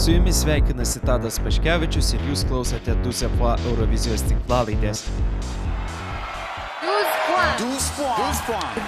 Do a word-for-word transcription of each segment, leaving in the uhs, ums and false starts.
Su jumis sveikinasi Tadas Paškevičius ir jūs klausote douze points Eurovizijos tinklalaidės.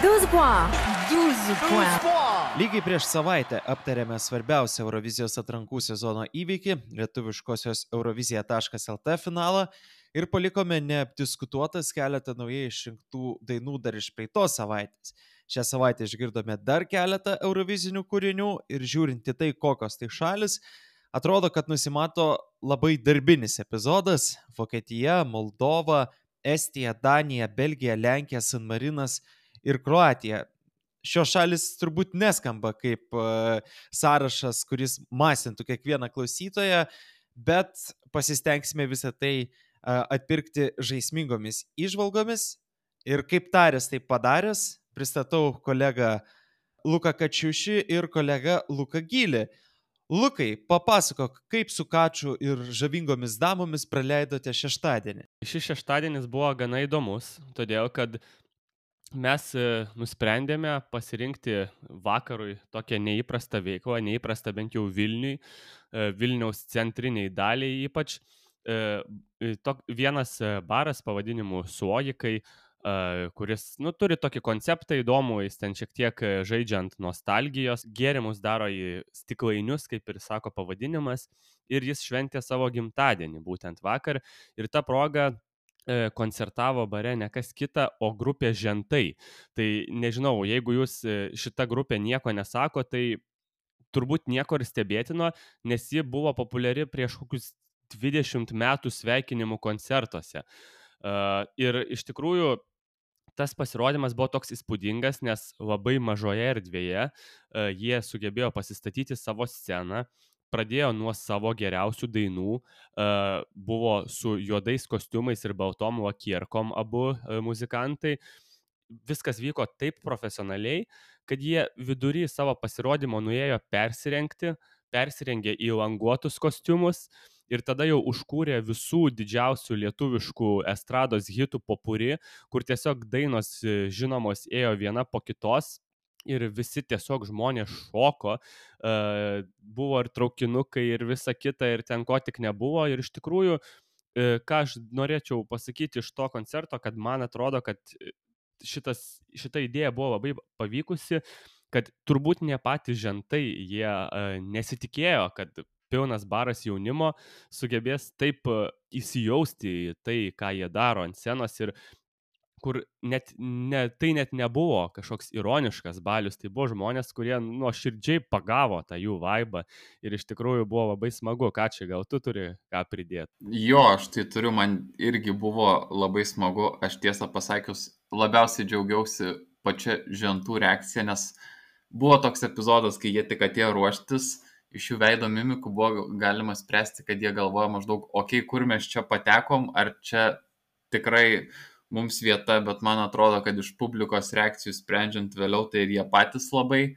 douze points. Lygiai prieš savaitę aptarėme svarbiausią Eurovizijos atrankų sezono įvykį, lietuviškosios eurovizija taškas lt finalą ir palikome neapdiskutuotas keletą naujai išrinktų dainų dar iš praeitos savaitės. Šią savaitę išgirdome dar keletą eurovizinių kūrinių ir žiūrint į tai, kokios tai šalis, atrodo, kad nusimato labai darbinis epizodas. Vokietija, Moldova, Estija, Danija, Belgija, Lenkija, San Marinas ir Kroatija. Šios šalis turbūt neskamba kaip uh, sąrašas, kuris masintų kiekvieną klausytoją, bet pasistengsime visą tai uh, atpirkti žaismingomis įžvalgomis. Ir kaip tarės tai padaręs, pristatau kolegą Luką Kačiušį ir kolegą Luką Gylį. Lukai, papasakok, kaip su Kačiu ir žavingomis damomis praleidote šeštadienį. Šis šeštadienis buvo gana įdomus, todėl kad mes nusprendėme pasirinkti vakarui tokią neįprastą veiklą, neįprastą bent jau Vilniui, Vilniaus centriniai daliai ypač. Vienas baras pavadinimu Suojikai, kuris nu, turi tokį konceptą įdomų, jis ten šiek tiek žaidžiant nostalgijos, gėrimus daro į stiklainius, kaip ir sako pavadinimas, ir jis šventė savo gimtadienį būtent vakar, ir ta proga koncertavo bare ne kas kita, o grupė Žentai. Tai nežinau, jeigu jūs šita grupė nieko nesako, tai turbūt nieko ir stebėtino, nes ji buvo populiari prieš kokius dvidešimt metų sveikinimų koncertuose. Ir iš tikrųjų tas pasirodymas buvo toks įspūdingas, nes labai mažoje erdvėje uh, jie sugebėjo pasistatyti savo sceną, pradėjo nuo savo geriausių dainų, uh, buvo su juodais kostiumais ir baltom lakierkom abu uh, muzikantai. Viskas vyko taip profesionaliai, kad jie vidury savo pasirodymo nuėjo persirengti, persirengė į languotus kostiumus, ir tada jau užkūrė visų didžiausių lietuviškų estrados hitų popuri, kur tiesiog dainos žinomos ėjo viena po kitos ir visi tiesiog žmonės šoko. Uh, buvo ir traukinukai ir visa kita ir ten ko tik nebuvo. Ir iš tikrųjų, uh, ką aš norėčiau pasakyti iš to koncerto, kad man atrodo, kad šitas, šita idėja buvo labai pavykusi, kad turbūt ne patys Žentai, jie uh, nesitikėjo, kad pilnas baras jaunimo sugebės taip įsijausti į tai, ką jie daro ant scenos ir kur net, ne, tai net nebuvo kažkoks ironiškas balius, tai buvo žmonės, kurie nuoširdžiai pagavo tą jų vaibą ir iš tikrųjų buvo labai smagu. Ką čia, gal tu turi ką pridėti? Jo, aš tai turiu, man irgi buvo labai smagu, aš tiesą pasakius labiausiai džiaugiausi pačia Žentų reakcija, nes buvo toks epizodas, kai jie tik atėjo ruoštis, iš jų veido mimikų buvo galima spręsti, kad jie galvoja maždaug, okei, okay, kur mes čia patekom, ar čia tikrai mums vieta, bet man atrodo, kad iš publikos reakcijų sprendžiant vėliau, tai ir jie patys labai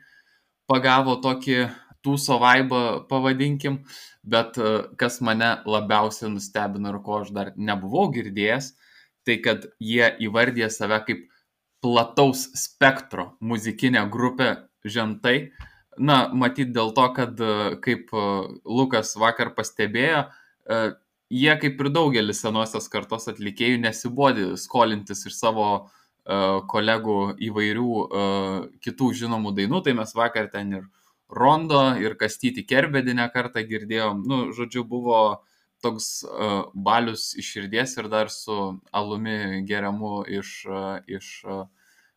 pagavo tokį tūso vaibą, pavadinkim, bet kas mane labiausiai nustebino ir ko aš dar nebuvau girdėjęs, tai kad jie įvardė save kaip plataus spektro muzikinę grupę Žentai. Na, matyt dėl to, kad kaip Lukas vakar pastebėjo, jie kaip ir daugelis senosios kartos atlikėjų nesibodi skolintis iš savo kolegų įvairių kitų žinomų dainų, tai mes vakar ten ir Rondo, ir Kastytį Kerbedinę kartą girdėjom. Nu, žodžiu, buvo toks balius iš širdies ir dar su alumi geriamu iš... iš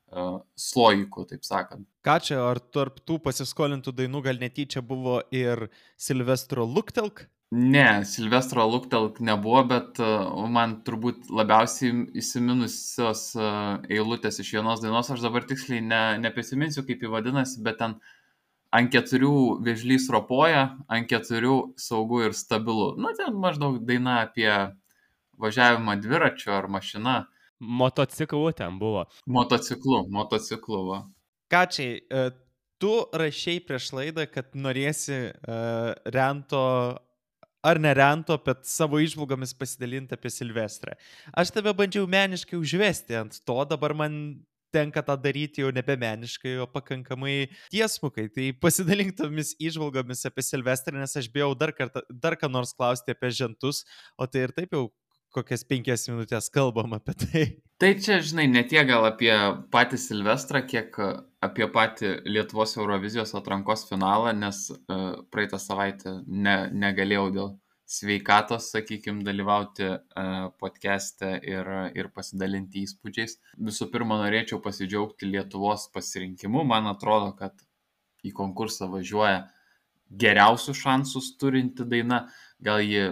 Uh, slojikų, taip sakant. Ką čia, ar tarp tų pasiskolintų dainų gal netyčia buvo ir Silvestro Luktelk? Ne, Silvestro Luktelk nebuvo, bet uh, man turbūt labiausiai įsiminusios uh, eilutės iš vienos dainos, aš dabar tiksliai ne, nepasiminsiu, kaip jį vadinasi, bet ten ant keturių vėžlys ropoja, ant keturių saugu ir stabilu. Nu, ten maždaug daina apie važiavimą dviračiu ar mašina. Motociklu ten buvo. Motociklu, motociklu, va. Kačiai, tu rašei prieš laidą, kad norėsi uh, Rento, ar ne Rento, bet savo įžvalgomis pasidalinti apie Silvestrą. Aš tave bandžiau meniškai užvesti ant to, dabar man tenka tą daryti jau nebemeniškai, o pakankamai tiesmukai. Tai pasidalink tomis įžvalgomis apie Silvestrą, nes aš bijau dar, kartą, dar ką nors klausti apie žentus, o tai ir taip jau kokias penkias minutės kalbam apie tai. Tai čia, žinai, ne tiek gal apie patį Silvestrą, kiek apie patį Lietuvos Eurovizijos atrankos finalą, nes uh, praeitą savaitę ne, negalėjau dėl sveikatos, sakykime, dalyvauti uh, podcast'e ir, ir pasidalinti įspūdžiais. Visų pirma, norėčiau pasidžiaugti Lietuvos pasirinkimu. Man atrodo, kad į konkursą važiuoja geriausius šansus turinti daina. Gal ji,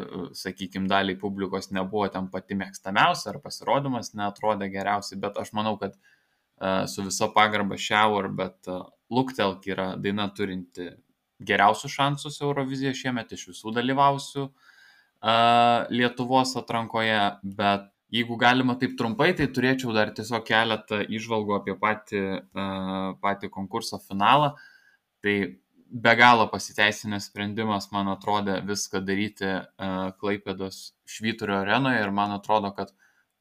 sakykime, daliai publikos nebuvo ten pati mėgstamiausia ar pasirodymas neatrodė geriausiai, bet aš manau, kad uh, su viso pagarba Shower, bet uh, Luktelk yra daina turinti geriausius šansus Eurovizijoje šiemet iš visų dalyvausių uh, Lietuvos atrankoje, bet jeigu galima taip trumpai, tai turėčiau dar tiesiog keletą įžvalgų apie patį, uh, patį konkurso finalą. Tai be galo pasiteisinęs sprendimas, man atrodė, viską daryti uh, Klaipėdos Švyturio arenoje ir man atrodo, kad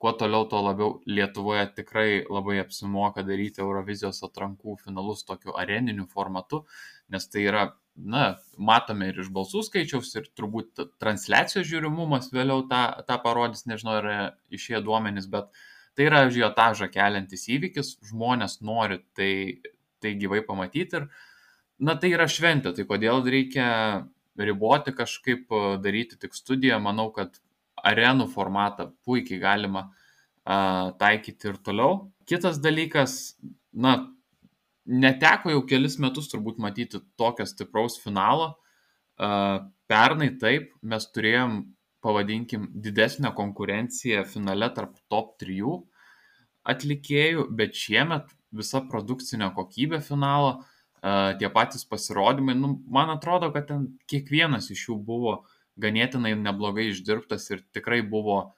kuo toliau, tuo labiau Lietuvoje tikrai labai apsimoka daryti Eurovizijos atrankų finalus tokiu areniniu formatu, nes tai yra, na, matome ir iš balsų skaičiaus, ir turbūt transliacijos žiūrimumas vėliau tą, tą parodys, nežinau, yra išėję duomenys, bet tai yra ažiotažą keliantis įvykis, žmonės nori tai, tai gyvai pamatyti ir, na, tai yra šventė, tai kodėl reikia riboti kažkaip, daryti tik studiją, manau, kad arenų formatą puikiai galima uh, taikyti ir toliau. Kitas dalykas, na, neteko jau kelis metus turbūt matyti tokio stipraus finalo. Uh, pernai taip, mes turėjom, pavadinkim, didesnę konkurenciją finale tarp top trijų atlikėjų, bet šiemet visa produkcinė kokybė finalo, uh, tie patys pasirodymai, nu, man atrodo, kad ten kiekvienas iš jų buvo ganėtinai neblogai išdirbtas ir tikrai buvo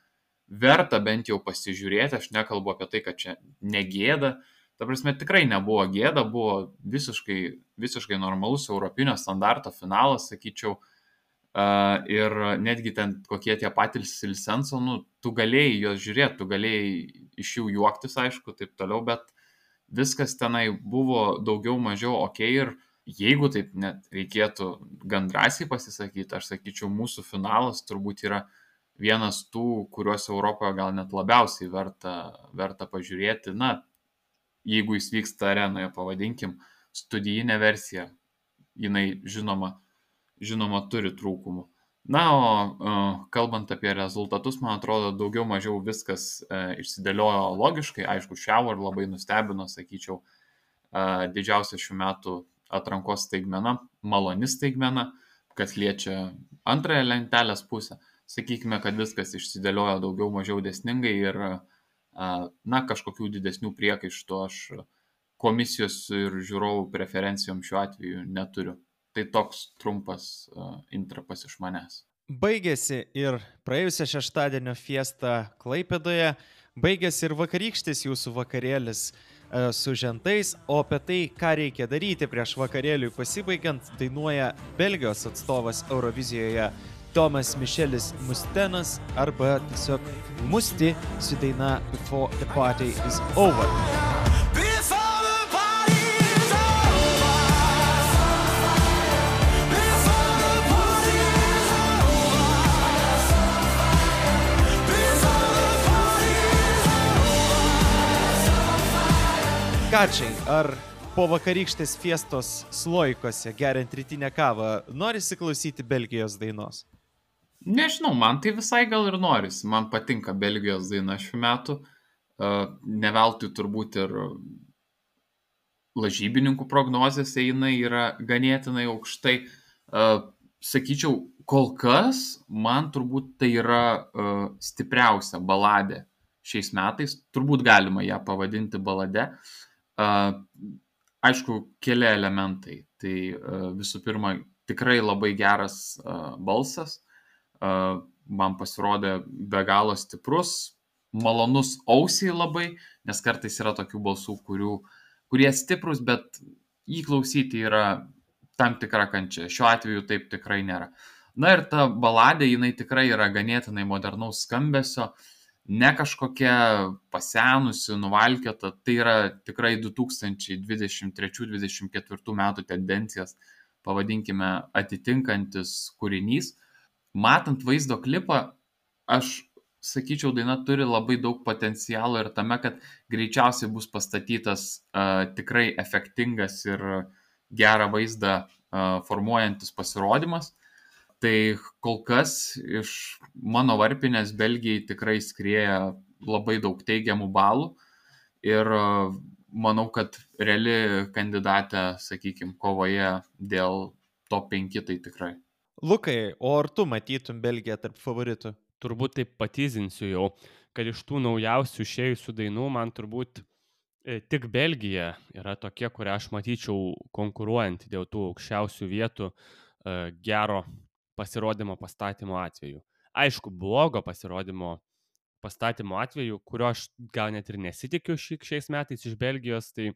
verta bent jau pasižiūrėti. Aš nekalbu apie tai, kad čia negėda. Ta prasme, tikrai nebuvo gėda, buvo visiškai, visiškai normalus europinio standarto finalas, sakyčiau. Uh, ir netgi ten kokie tie patys Silsenso, nu, tu galėjai juos žiūrėti, tu galėjai iš jų juoktis, aišku, taip toliau, bet viskas tenai buvo daugiau mažiau ok ir jeigu taip net reikėtų gan drąsiai pasisakyti, aš sakyčiau, mūsų finalas turbūt yra vienas tų, kuriuos Europoje gal net labiausiai verta, verta pažiūrėti. Na, jeigu jis vyksta arenoje, pavadinkim, studijinė versija, jinai žinoma, žinoma turi trūkumų. Na, o uh, kalbant apie rezultatus, man atrodo, daugiau mažiau viskas uh, išsidėliojo logiškai. Aišku, Shower labai nustebino, sakyčiau, uh, didžiausia šių metų atrankos staigmena, maloni staigmena, kas liečia antrąją lentelės pusę. Sakykime, kad viskas išsidėliojo daugiau mažiau dėsningai ir, na, kažkokių didesnių priekaištų aš komisijos ir žiūrovų preferencijom šiuo atveju neturiu. Tai toks trumpas intrapas iš manęs. Baigėsi ir praėjusią šeštadienio fiestą Klaipėdoje, baigėsi ir vakarykštis jūsų vakarėlis su žentais, o apie tai, ką reikia daryti prieš vakarėliui pasibaigiant, dainuoja Belgijos atstovas Eurovizijoje Tomas Mišelis Mustenas arba tiesiog Musti su daina Before the Party is Over. Kačiai, ar po vakarykštės fiestos Sloikose, geriant rytinę kavą, norisi klausyti Belgijos dainos? Nežinau, man tai visai gal ir norisi. Man patinka Belgijos daina šių metų. Ne veltui turbūt ir lažybininkų prognozėse jinai yra ganėtinai aukštai. Sakyčiau, kol kas man turbūt tai yra stipriausia baladė šiais metais. Turbūt galima ją pavadinti balade. Uh, aišku, keli elementai. Tai uh, visų pirma, tikrai labai geras uh, balsas. Uh, man pasirodė be galo stiprus, malonus ausiai labai, nes kartais yra tokių balsų, kurių, kurie stiprus, bet jį klausyti yra tam tikra kančia. Šiuo atveju taip tikrai nėra. Na ir ta baladė, jinai tikrai yra ganėtinai modernaus skambesio. ne kažkokia pasenusi, nuvalkiota, tai yra tikrai du tūkstančiai dvidešimt trečių dvidešimt ketvirtų metų tendencijas, pavadinkime, atitinkantis kūrinys. Matant vaizdo klipą, aš sakyčiau, daina turi labai daug potencialo ir tame, kad greičiausiai bus pastatytas uh, tikrai efektingas ir gerą vaizdą uh, formuojantis pasirodymas. Tai kol kas iš mano varpinės Belgijai tikrai skrieja labai daug teigiamų balų ir uh, manau, kad reali kandidatė, sakykime, kovoje dėl top penki tai tikrai. Lukai, o ar tu matytum Belgiją tarp favoritų? Turbūt taip patyzinsiu jau, kad iš tų naujausių išėjusių dainų man turbūt e, tik Belgija yra tokia, kurią aš matyčiau konkuruojant dėl tų aukščiausių vietų e, gero pasirodymo pastatymo atveju. Aišku, blogo pasirodymo pastatymo atveju, kurio aš gal net ir nesitikiu ši, šiais metais iš Belgijos, tai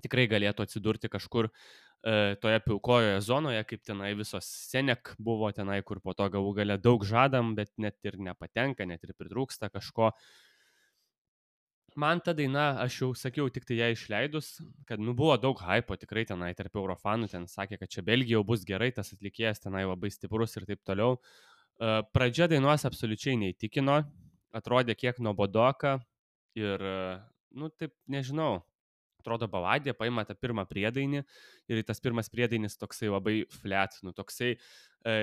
tikrai galėtų atsidurti kažkur e, toje pilkojoje zonoje, kaip tenai visos Senek buvo tenai, kur po to galų gale daug žadam, bet net ir nepatenka, net ir pritrūksta kažko. Man ta daina, aš jau sakiau, tik tai ją išleidus, kad nu buvo daug hypo tikrai tenai tarp eurofanų, ten sakė, kad čia Belgija jau bus gerai, tas atlikėjas tenai labai stiprus ir taip toliau. E, pradžia dainos absoliučiai neįtikino, atrodė kiek nuobodoka ir, nu taip, nežinau, atrodo baladė, paima tą pirmą priedainį ir tas pirmas priedainis toksai labai flat, nu toksai e,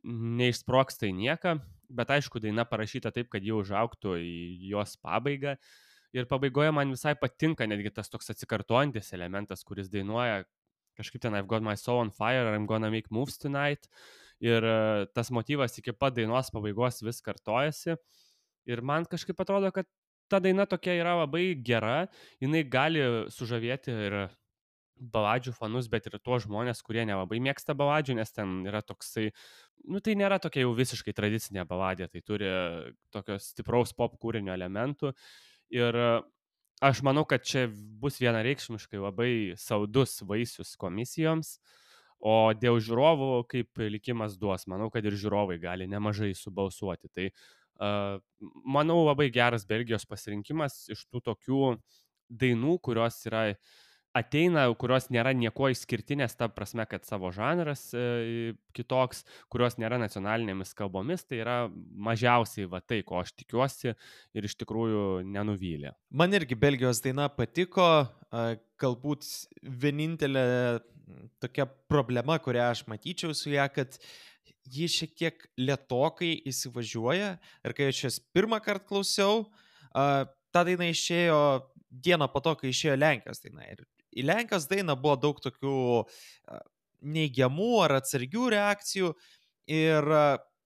neišsproksta į nieką, bet aišku, daina parašyta taip, kad jau užaugtų į jos pabaigą ir pabaigoje man visai patinka netgi tas toks atsikartojantis elementas, kuris dainuoja kažkaip ten I've got my soul on fire, I'm gonna make moves tonight ir e, tas motyvas iki pat dainos pabaigos vis kartojasi ir man kažkaip atrodo, kad ta daina tokia yra labai gera, jinai gali sužavėti ir baladžių fanus, bet ir tuos žmonės, kurie nelabai mėgsta baladžių, nes ten yra toksai, nu tai nėra tokia jau visiškai tradicinė baladė, tai turi tokios stipraus pop kūrinio elementų ir aš manau, kad čia bus vienareikšmiškai labai saudus vaisius komisijoms, o dėl žiūrovų, kaip likimas duos, manau, kad ir žiūrovai gali nemažai subalsuoti, tai Uh, manau, labai geras Belgijos pasirinkimas iš tų tokių dainų, kurios yra, ateina, kurios nėra nieko išskirtinės, ta prasme, kad savo žanras e, kitoks, kurios nėra nacionalinėmis kalbomis, tai yra mažiausiai va tai, ko aš tikiuosi ir iš tikrųjų nenuvylė. Man irgi Belgijos daina patiko, galbūt vienintelė tokia problema, kurią aš matyčiau su ją, kad ji šiek tiek lėtokai įsivažiuoja ir kai aš jas pirmą kartą klausiau, ta daina išėjo dieną po to, kai išėjo Lenkijos daina. Ir į Lenkijos dainą buvo daug tokių neigiamų ar atsargių reakcijų ir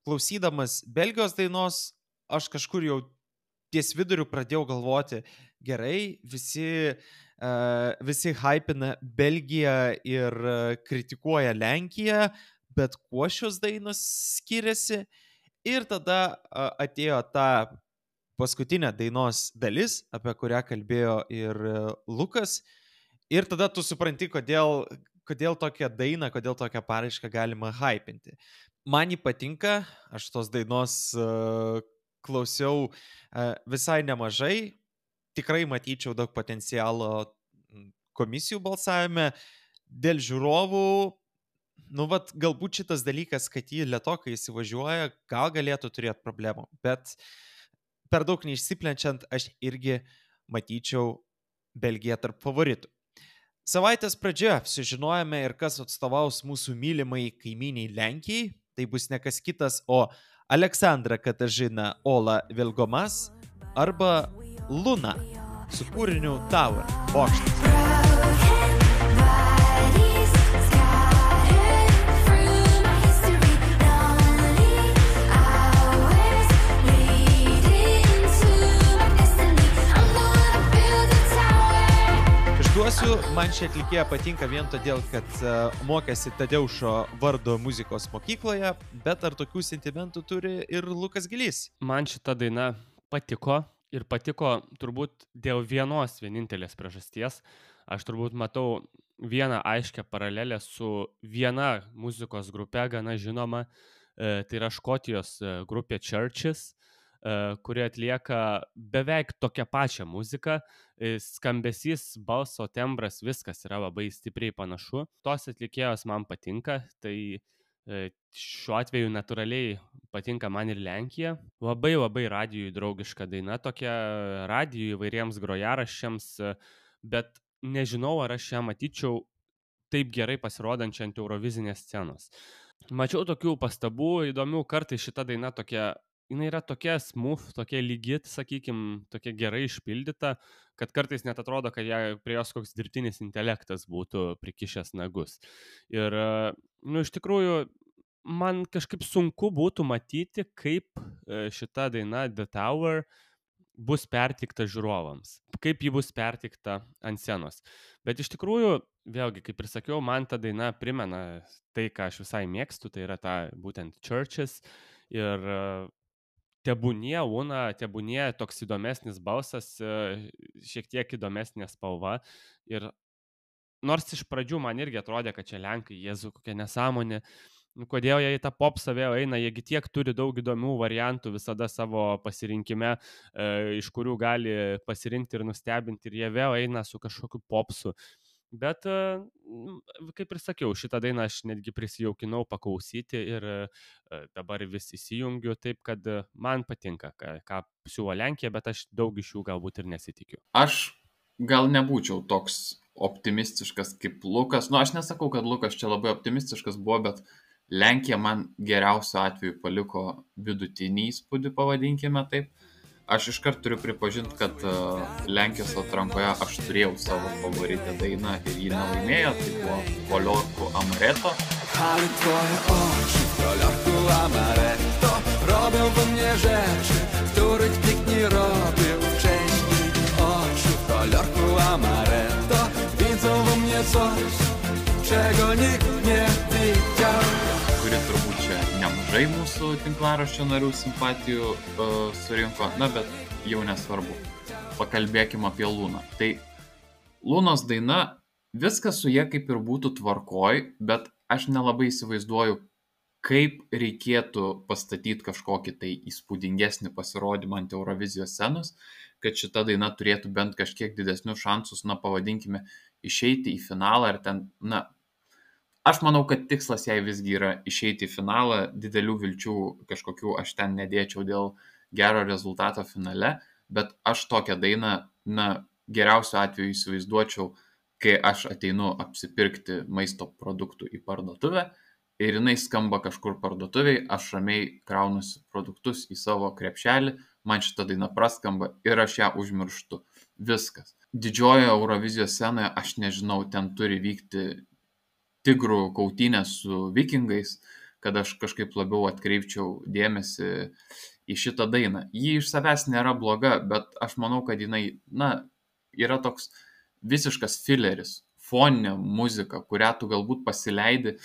klausydamas Belgijos dainos, aš kažkur jau ties viduriu pradėjau galvoti, gerai, visi, visi hypina Belgiją ir kritikuoja Lenkiją, bet kuo šios dainos skiriasi. Ir tada atėjo ta paskutinė dainos dalis, apie kurią kalbėjo ir Lukas. Ir tada tu supranti, kodėl, kodėl tokią dainą, kodėl tokią paraišką galima hypinti. Man jį patinka, aš tos dainos uh, klausiau uh, visai nemažai. Tikrai matyčiau daug potencialo komisijų balsavime. Dėl žiūrovų, nu, vat, galbūt šitas dalykas, kad jį lėtokai įsivažiuoja, gal galėtų turėti problemų, bet per daug neišsiplenčiant, aš irgi matyčiau Belgiją tarp favoritų. Savaitės pradžioje sužinojame ir kas atstovaus mūsų mylimai kaimyniai Lenkijai, tai bus ne kas kitas, o Aleksandra Katažina Ola Vilgomas arba Luna su kūriniu Tower, bokštas. Išduosiu, man ši atlikėja patinka vien todėl, kad uh, mokėsi Tadeušo Vardo muzikos mokykloje, bet ar tokių sentimentų turi ir Lukas Gilys? Man šita daina patiko ir patiko turbūt dėl vienos vienintelės priežasties. Aš turbūt matau vieną aiškę paralelę su viena muzikos grupe, gana žinoma, e, tai yra Škotijos grupė Churches. kurie atlieka beveik tokią pačią muziką. Skambesys, balso tembras, viskas yra labai stipriai panašu. Tos atlikėjos man patinka, tai šiuo atveju natūraliai patinka man ir Lenkija. Labai labai radijui draugiška daina, tokia radijui įvairiems grojaraščiams, bet nežinau, ar aš ją matyčiau taip gerai pasirodančią ant Eurovizinės scenos. Mačiau tokių pastabų įdomių, kartais šita daina tokia, jinai yra tokia smooth, tokia lygi, sakykim, tokia gerai išpildyta, kad kartais net atrodo, kad ją, prie jos koks dirbtinis intelektas būtų prikišęs nagus. Ir, nu, iš tikrųjų, man kažkaip sunku būtų matyti, kaip šita daina The Tower bus pertikta žiūrovams, kaip ji bus pertikta ant scenos. Bet iš tikrųjų, vėlgi, kaip ir sakiau, man ta daina primena tai, ką aš visai mėgstu, tai yra ta būtent Churches. Ir tebūnie Una, tebūnie toks įdomesnis balsas, šiek tiek įdomesnė spalva. Ir nors iš pradžių man irgi atrodė, kad čia Lenkai, Jėzu, kokia nesąmonė, kodėl jie į tą popsą vėl eina, jiegi tiek turi daug įdomių variantų visada savo pasirinkime, e, iš kurių gali pasirinkti ir nustebinti, ir jie vėl eina su kažkokiu popsu. Bet, e, kaip ir sakiau, šitą dainą aš netgi prisijaukinau paklausyti ir e, dabar vis įsijungiu, taip kad man patinka, ką, ką siūlo Lenkija, bet aš daug iš jų galbūt ir nesitikiu. Aš gal nebūčiau toks optimistiškas kaip Lukas. Nu, aš nesakau, kad Lukas čia labai optimistiškas buvo, bet Lenkija man geriausiu atveju paliko vidutinį įspūdį, pavadinkime taip. Aš iškart turiu pripažinti, kad uh, Lenkijos atrankoje aš turėjau savo favoritę dainą ir jį nelaimėjo, tai buvo Koliorku Amaretto. Ale twoje oczy w kolorku amaretto robią we mnie rzeczy, których nikt nie robił wcześniej. Oczy w kolorku amaretto widzą we mnie coś, czego nikt nie widział. Kuri turbūt čia nemažai mūsų tinklaraščio narių simpatijų uh, surinko, na bet jau nesvarbu. Pakalbėkime apie Luną. Tai Lunos daina, viskas su jie kaip ir būtų tvarkoj, bet aš nelabai įsivaizduoju, kaip reikėtų pastatyti kažkokį tai įspūdingesnį pasirodymą ant Eurovizijos scenos, kad šita daina turėtų bent kažkiek didesnius šansus, na pavadinkime, išeiti į finalą ir ten, na, aš manau, kad tikslas jai visgi yra išeiti į finalą, didelių vilčių kažkokių aš ten nedėčiau dėl gero rezultato finale, bet aš tokią dainą, na, geriausiu atveju įsivaizduočiau, kai aš ateinu apsipirkti maisto produktų į parduotuvę ir jinai skamba kažkur parduotuviai, aš ramiai kraunusi produktus į savo krepšelį, man šita daina praskamba ir aš ją užmirštu. Viskas. Didžiojoje Eurovizijos scenoje, aš nežinau, ten turi vykti tigrų kautynės su vikingais, kad aš kažkaip labiau atkreipčiau dėmesį į šitą dainą. Ji iš savęs nėra bloga, bet aš manau, kad jinai, na, yra toks visiškas fileris, foninė muzika, kurią tu galbūt pasileidi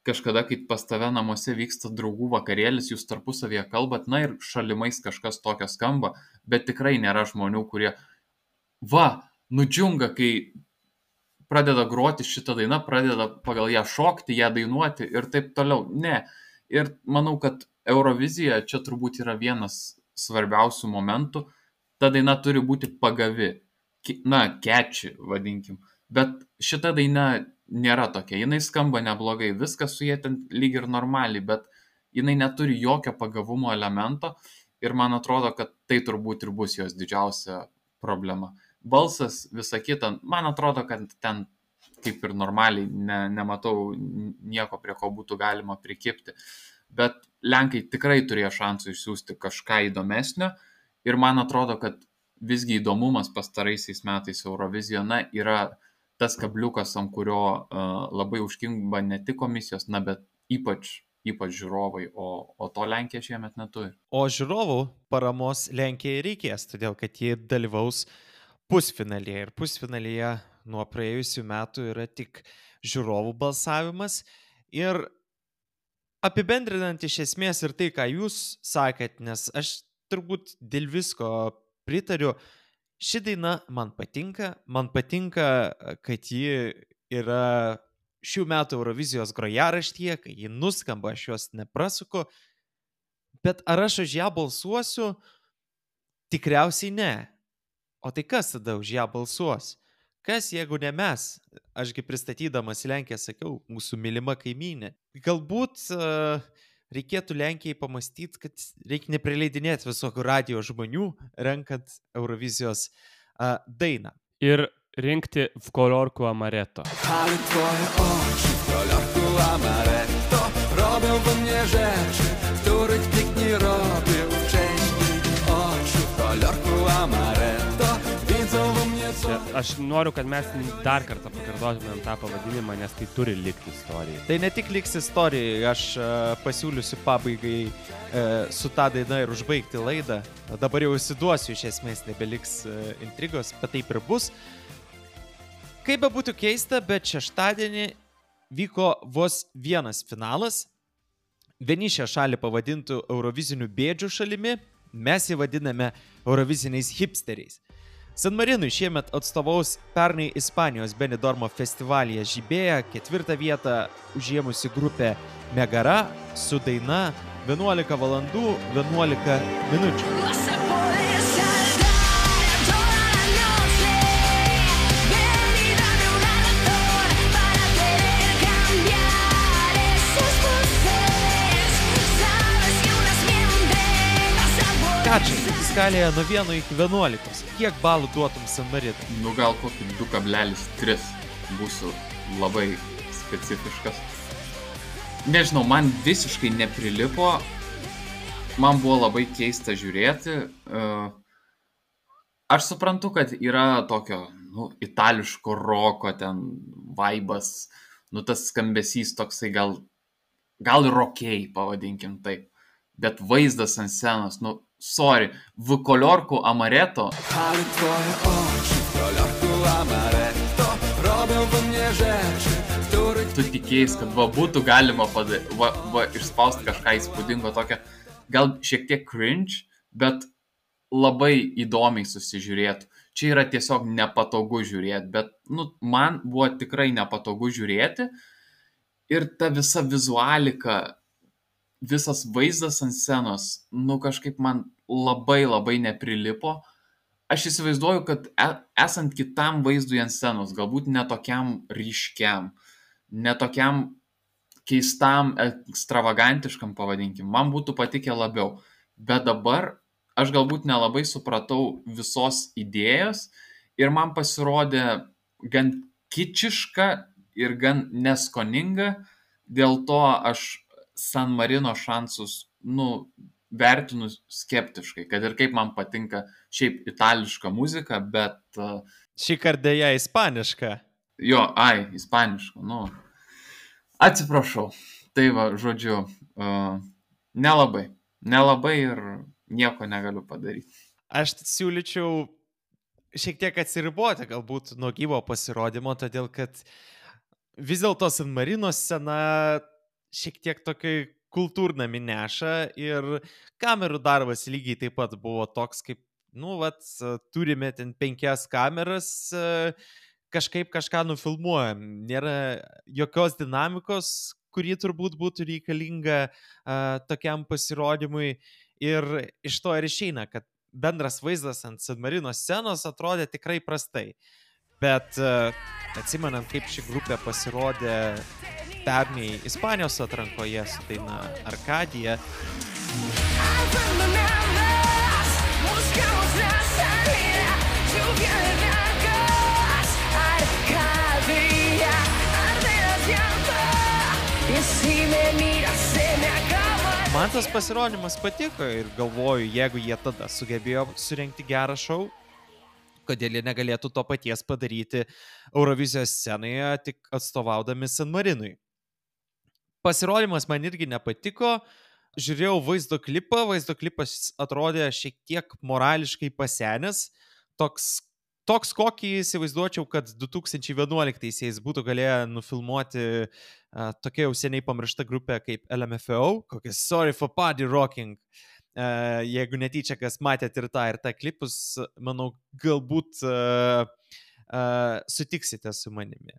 kažkada, kai pas tave namuose vyksta draugų vakarėlis, jūs tarpusavėje kalbat, na ir šalimais kažkas tokio skamba, bet tikrai nėra žmonių, kurie, va, nudžiunga, kai pradeda groti šitą dainą, pradeda pagal ją šokti, ją dainuoti ir taip toliau. Ne. Ir manau, kad Eurovizija čia turbūt yra vienas svarbiausių momentų. Ta daina turi būti pagavi. Na, catchy, vadinkim. Bet šita daina nėra tokia. Jinai skamba neblogai. Viskas su jie ten lyg ir normaliai, bet jinai neturi jokio pagavumo elemento. Ir man atrodo, kad tai turbūt ir bus jos didžiausia problema. Balsas, visa kita, man atrodo, kad ten kaip ir normaliai ne, nematau nieko, prie ko būtų galima prikipti. Bet Lenkai tikrai turėjo šansų išsiųsti kažką įdomesnio ir man atrodo, kad visgi įdomumas pastaraisiais metais Eurovizijoje, na, yra tas kabliukas, ant kurio uh, labai užkimba ne tik komisijos, na, bet ypač, ypač žiūrovai, o, o to Lenkija šiemet neturi. O žiūrovų paramos Lenkijai reikės, todėl kad jie dalyvaus pusfinalyje ir pusfinalyje nuo praėjusių metų yra tik žiūrovų balsavimas. Ir apibendrinant iš esmės ir tai, ką jūs sakėt, nes aš turbūt dėl visko pritariu, ši daina man patinka, man patinka, kad ji yra šių metų Eurovizijos grojaraštyje, kai ji nuskamba, aš jos neprasuku, Bet ar aš už ją balsuosiu? Tikriausiai ne. O tai kas tada už ją balsuos? Kas, jeigu ne mes? Ašgi pristatydamas Lenkiją sakiau, mūsų mylima kaimynė. Galbūt uh, reikėtų Lenkijai pamastyti, kad reikia neprileidinėti visokių radio žmonių, renkant Eurovizijos uh, dainą. Ir rinkti w kolorku amaretto. Ale twoje oczy w kolorku amaretto robią we mnie rzeczy, których nikt nie robił wcześniej. Oczy w kolorku amaretto widzą we mnie co... Aš noriu, kad mes dar kartą pakartotumėm tą pavadinimą, nes tai turi likti istorijai. Tai ne tik liks istorijai, aš uh, pasiūlysiu pabaigai uh, su tą dainą ir užbaigti laidą. Dabar jau įsiduosiu, iš esmės nebeliks uh, intrigos, bet taip ir bus. Kaip be būtų keista, bet šeštadienį vyko vos vienas finalas. Vieni šią šalį pavadintų Eurovizinių bėdžių šalimi, mes jį vadiname Euroviziniais hipsteriais. San Marinui šiemet atstovaus pernai Ispanijos Benidormo festivalyje žibėję ketvirtą vietą užėmusi grupė Megara su daina vienuolika valandų vienuolika minučių. Kačiai, skalėje nuo vieno iki vienuolikos. Kiek balų duotum San Marinui? Nu gal kokį du kablelis tris būsiu labai specifiškas. Nežinau, man visiškai neprilipo. Man buvo labai keista žiūrėti. Aš suprantu, kad yra tokio, nu, itališko roko ten vaibas, nu tas skambesys toksai gal, gal ir rokiai, pavadinkim taip. Bet vaizdas ant scenos, nu, sorry, w kolorku amaretto. Ale twoje oczy w kolorku amaretto robią we mnie rzeczy, których... Tu tikėjais, kad va būtų galima pada, va, va, išspausti kažką įspūdingo tokio, gal šiek tiek cringe, bet labai įdomiai susižiūrėtų. Čia yra tiesiog nepatogu žiūrėti, bet nu, man buvo tikrai nepatogu žiūrėti ir ta visa vizualika, visas vaizdas ant scenos, nu kažkaip man labai labai neprilipo. Aš įsivaizduoju, kad esant kitam vaizdui ant scenos, galbūt netokiam ryškiam, netokiam keistam, ekstravagantiškam pavadinkim, man būtų patikę labiau. Bet dabar aš galbūt nelabai supratau visos idėjos ir man pasirodė gan kičiška ir gan neskoninga, dėl to aš San Marino šansus, nu, vertinu skeptiškai, kad ir kaip man patinka šiaip itališka muzika, bet... Uh, Šį kartą ją ispaniška. Jo, ai, ispaniška, nu. Atsiprašau. Tai va, žodžiu, uh, nelabai. Nelabai ir nieko negaliu padaryti. Aš siūlyčiau šiek tiek atsiriboti galbūt nuo gyvo pasirodymo, todėl kad vis dėlto San Marino scena šiek tiek tokiai kultūrnami neša ir kamerų darbas lygiai taip pat buvo toks, kaip, nu, vat, turime ten penkias kameras, kažkaip kažką nufilmuojam. Nėra jokios dinamikos, kuri turbūt būtų reikalinga uh, tokiam pasirodymui ir iš to ir išeina, kad bendras vaizdas ant San Marino scenos atrodė tikrai prastai. Bet uh, atsimenant, kaip ši grupė pasirodė pernai Ispanijos atrankoje su daina Arkadija. Man tas pasirodymas patiko ir galvoju, jeigu jie tada sugebėjo surengti gerą šou, kodėl jie negalėtų to paties padaryti Eurovizijos scenoje, tik atstovaudami San Marinui. Pasirodymas man irgi nepatiko, žiūrėjau vaizdo klipą, vaizdo klipas atrodė šiek tiek morališkai pasenęs, toks, toks kokį įsivaizduočiau, kad du tūkstančiai vienuoliktaisiais būtų galėję nufilmuoti uh, tokia jau seniai pamiršta grupė kaip L M F A O, kokia Sorry for Party Rocking. Uh, jeigu netyčia, kas matėt ir tą ir tą klipus, manau, galbūt uh, uh, sutiksite su manimi.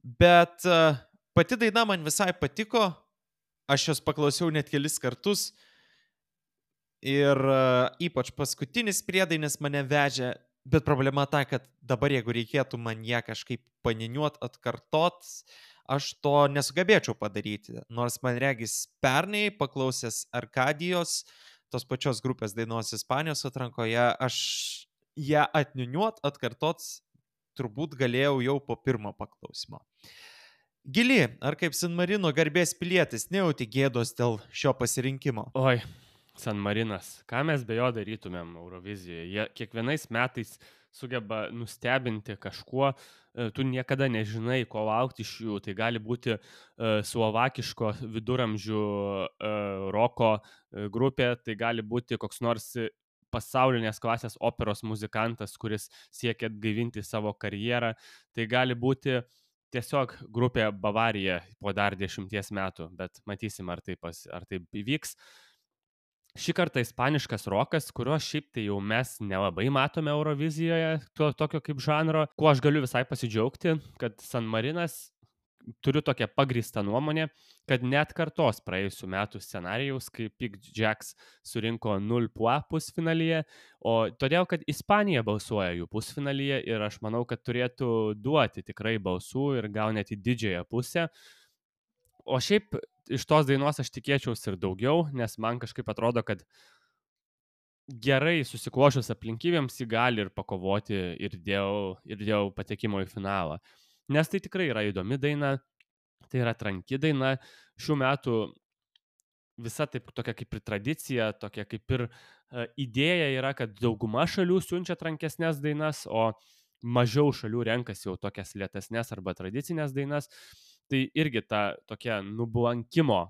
Bet uh, pati daina man visai patiko, aš jos paklausiau net kelis kartus Ir uh, ypač paskutinis priedainis mane vežė, bet problema ta, kad dabar jeigu reikėtų man ją kažkaip paniniuot, atkartot, aš to nesugebėčiau padaryti. Nors man regis pernai paklausęs Arkadijos, tos pačios grupės dainos Ispanijos atrankoje, aš ją atniuniuot, atkartot turbūt galėjau jau po pirmo paklausimo. Gili, ar kaip San Marino garbės pilietis nejauti gėdos dėl šio pasirinkimo? Oi, San Marinas, ką mes be jo darytumėm Eurovizijoje? Jie kiekvienais metais sugeba nustebinti kažkuo, tu niekada nežinai, ko laukti iš jų. Tai gali būti uh, slovakiško viduramžių uh, roko uh, grupė, tai gali būti koks nors pasaulinės klasės operos muzikantas, kuris siekia atgaivinti savo karjerą. Tai gali būti tiesiog grupė Bavarija po dar dešimties metų, bet matysim, ar tai, pas, ar tai įvyks. Šį kartą ispaniškas rokas, kurio šiaip tai jau mes nelabai matome Eurovizijoje, to, tokio kaip žanro, kuo aš galiu visai pasidžiaugti, kad San Marinas, turiu tokią pagrįstą nuomonę, kad net kartos praėjusių metų scenarijaus, kai Pig Jacks surinko nul puo pusfinalyje, o todėl, kad Ispanija balsuoja jų pusfinalyje ir aš manau, kad turėtų duoti tikrai balsų ir gal net į didžiąją pusę. O šiaip iš tos dainos aš tikėčiausi ir daugiau, nes man kažkaip atrodo, kad gerai susiklošius aplinkybėms jį gali ir pakovoti ir dėl, ir dėl patekimo į finalą. Nes tai tikrai yra įdomi daina, tai yra tranki daina. Šių metų visa taip tokia kaip ir tradicija, tokia kaip ir uh, idėja yra, kad dauguma šalių siunčia trankesnės dainas, o mažiau šalių renkasi jau tokias lėtesnės arba tradicinės dainas. Tai irgi ta tokia nublankimo,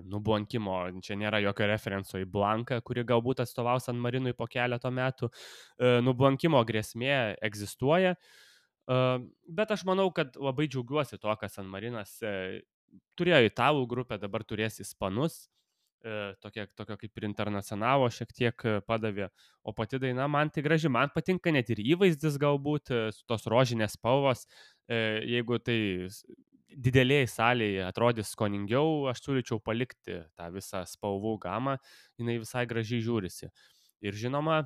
nublankimo, čia nėra jokio referenso į Blanką, kuri galbūt atstovaus San Marinui po keleto metų, nublankimo grėsmė egzistuoja, bet aš manau, kad labai džiaugiuosi to, kad San Marinas turėjo italų grupę, dabar turės ispanus, tokia, tokio kaip ir internacionalo šiek tiek padavė, o pati daina man tai graži, man patinka net ir įvaizdis galbūt, tos rožinės spalvos, jeigu tai didelėje salėje atrodys skoningiau, aš siūlyčiau palikti tą visą spalvų gamą, jinai visai gražiai žiūrisi. Ir žinoma,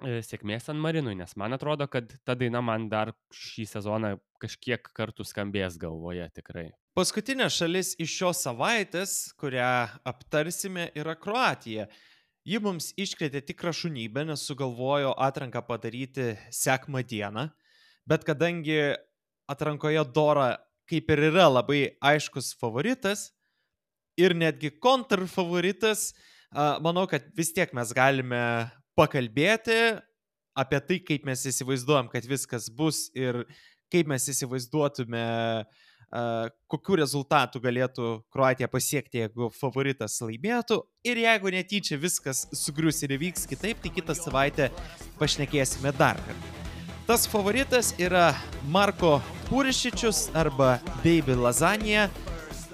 sėkmės San Marinui, nes man atrodo, kad ta daina man dar šį sezoną kažkiek kartų skambės galvoje tikrai. Paskutinė šalis iš šios savaitės, kurią aptarsime, yra Kroatija. Ji mums iškrėtė tikrą šunybę, nes sugalvojo atranką padaryti sekmą dieną, bet kadangi atrankoje Dora kaip ir yra labai aiškus favoritas ir netgi kontrfavoritas, manau, kad vis tiek mes galime pakalbėti apie tai, kaip mes įsivaizduojam, kad viskas bus ir kaip mes įsivaizduotume, kokių rezultatų galėtų Kroatija pasiekti, jeigu favoritas laimėtų. Ir jeigu netyčia viskas sugrius ir įvyks kitaip, tai kitą savaitę pašnekėsime dar kartą. Tas favoritas yra Marko Purišičius arba Baby Lasagna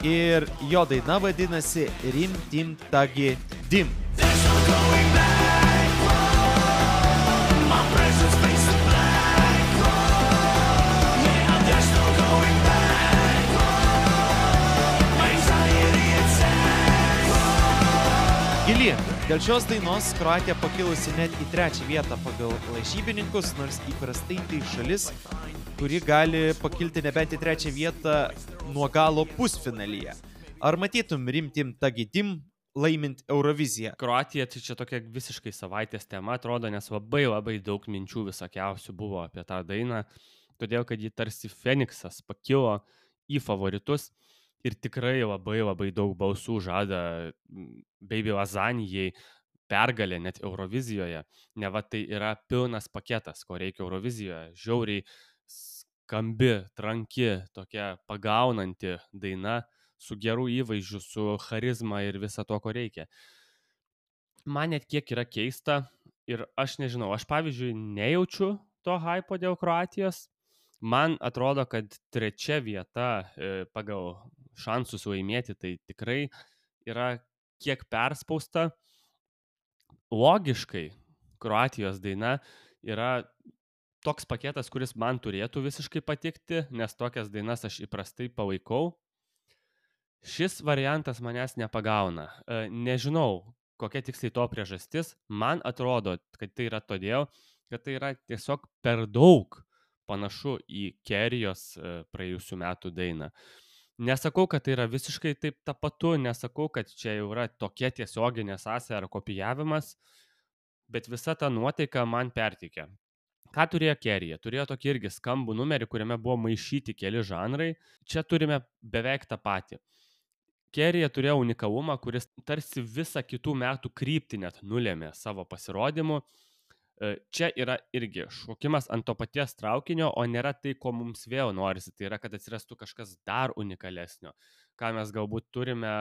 ir jo daina vadinasi Rim Tim Tagi Dim. Gili, dėl šios dainos Kroatija pakilusi net į trečią vietą pagal lažybininkus, nors įprastai tai šalis, kuri gali pakilti nebent į trečią vietą nuo galo pusfinalyje. Ar matytum Rim Tim Tagi Dim laimint Euroviziją? Kroatija tai čia tokia visiškai savaitės tema atrodo, nes labai labai daug minčių visokiausių buvo apie tą dainą, todėl kad ji tarsi Feniksas pakilo į favoritus. Ir tikrai labai labai daug balsų žada Baby Lasagnai pergalė net Eurovizijoje. Neva tai yra pilnas paketas, ko reikia Eurovizijoje. Žiauriai skambi, tranki, tokia pagaunanti daina su geru įvaizdžiu, su charizma ir visa to, ko reikia. Man net kiek yra keista ir aš nežinau, aš pavyzdžiui nejaučiu to hypo dėl Kroatijos. Man atrodo, kad trečia vieta e, pagal šansus laimėti tai tikrai yra kiek perspausta. Logiškai Kroatijos daina yra toks paketas, kuris man turėtų visiškai patikti, nes tokias dainas aš įprastai palaikau. Šis variantas manęs nepagauna. E, nežinau, kokia tiksliai to priežastis. Man atrodo, kad tai yra todėl, kad tai yra tiesiog per daug panašu į Kerijos praėjusių metų dainą. Nesakau, kad tai yra visiškai taip tapatu, nesakau, kad čia jau yra tokia tiesioginė sąsaja ar kopijavimas, bet visa ta nuotaika man perteikia. Ką turėjo Kerija? Turėjo tokį irgi skambų numerį, kuriame buvo maišyti keli žanrai. Čia turime beveik tą patį. Kerija turėjo unikalumą, kuris tarsi visą kitų metų kryptį net nulėmė savo pasirodymu. Čia yra irgi šokimas ant to paties traukinio, o nėra tai, ko mums vėl norisi. Tai yra, kad atsirastų kažkas dar unikalesnio, ką mes galbūt turime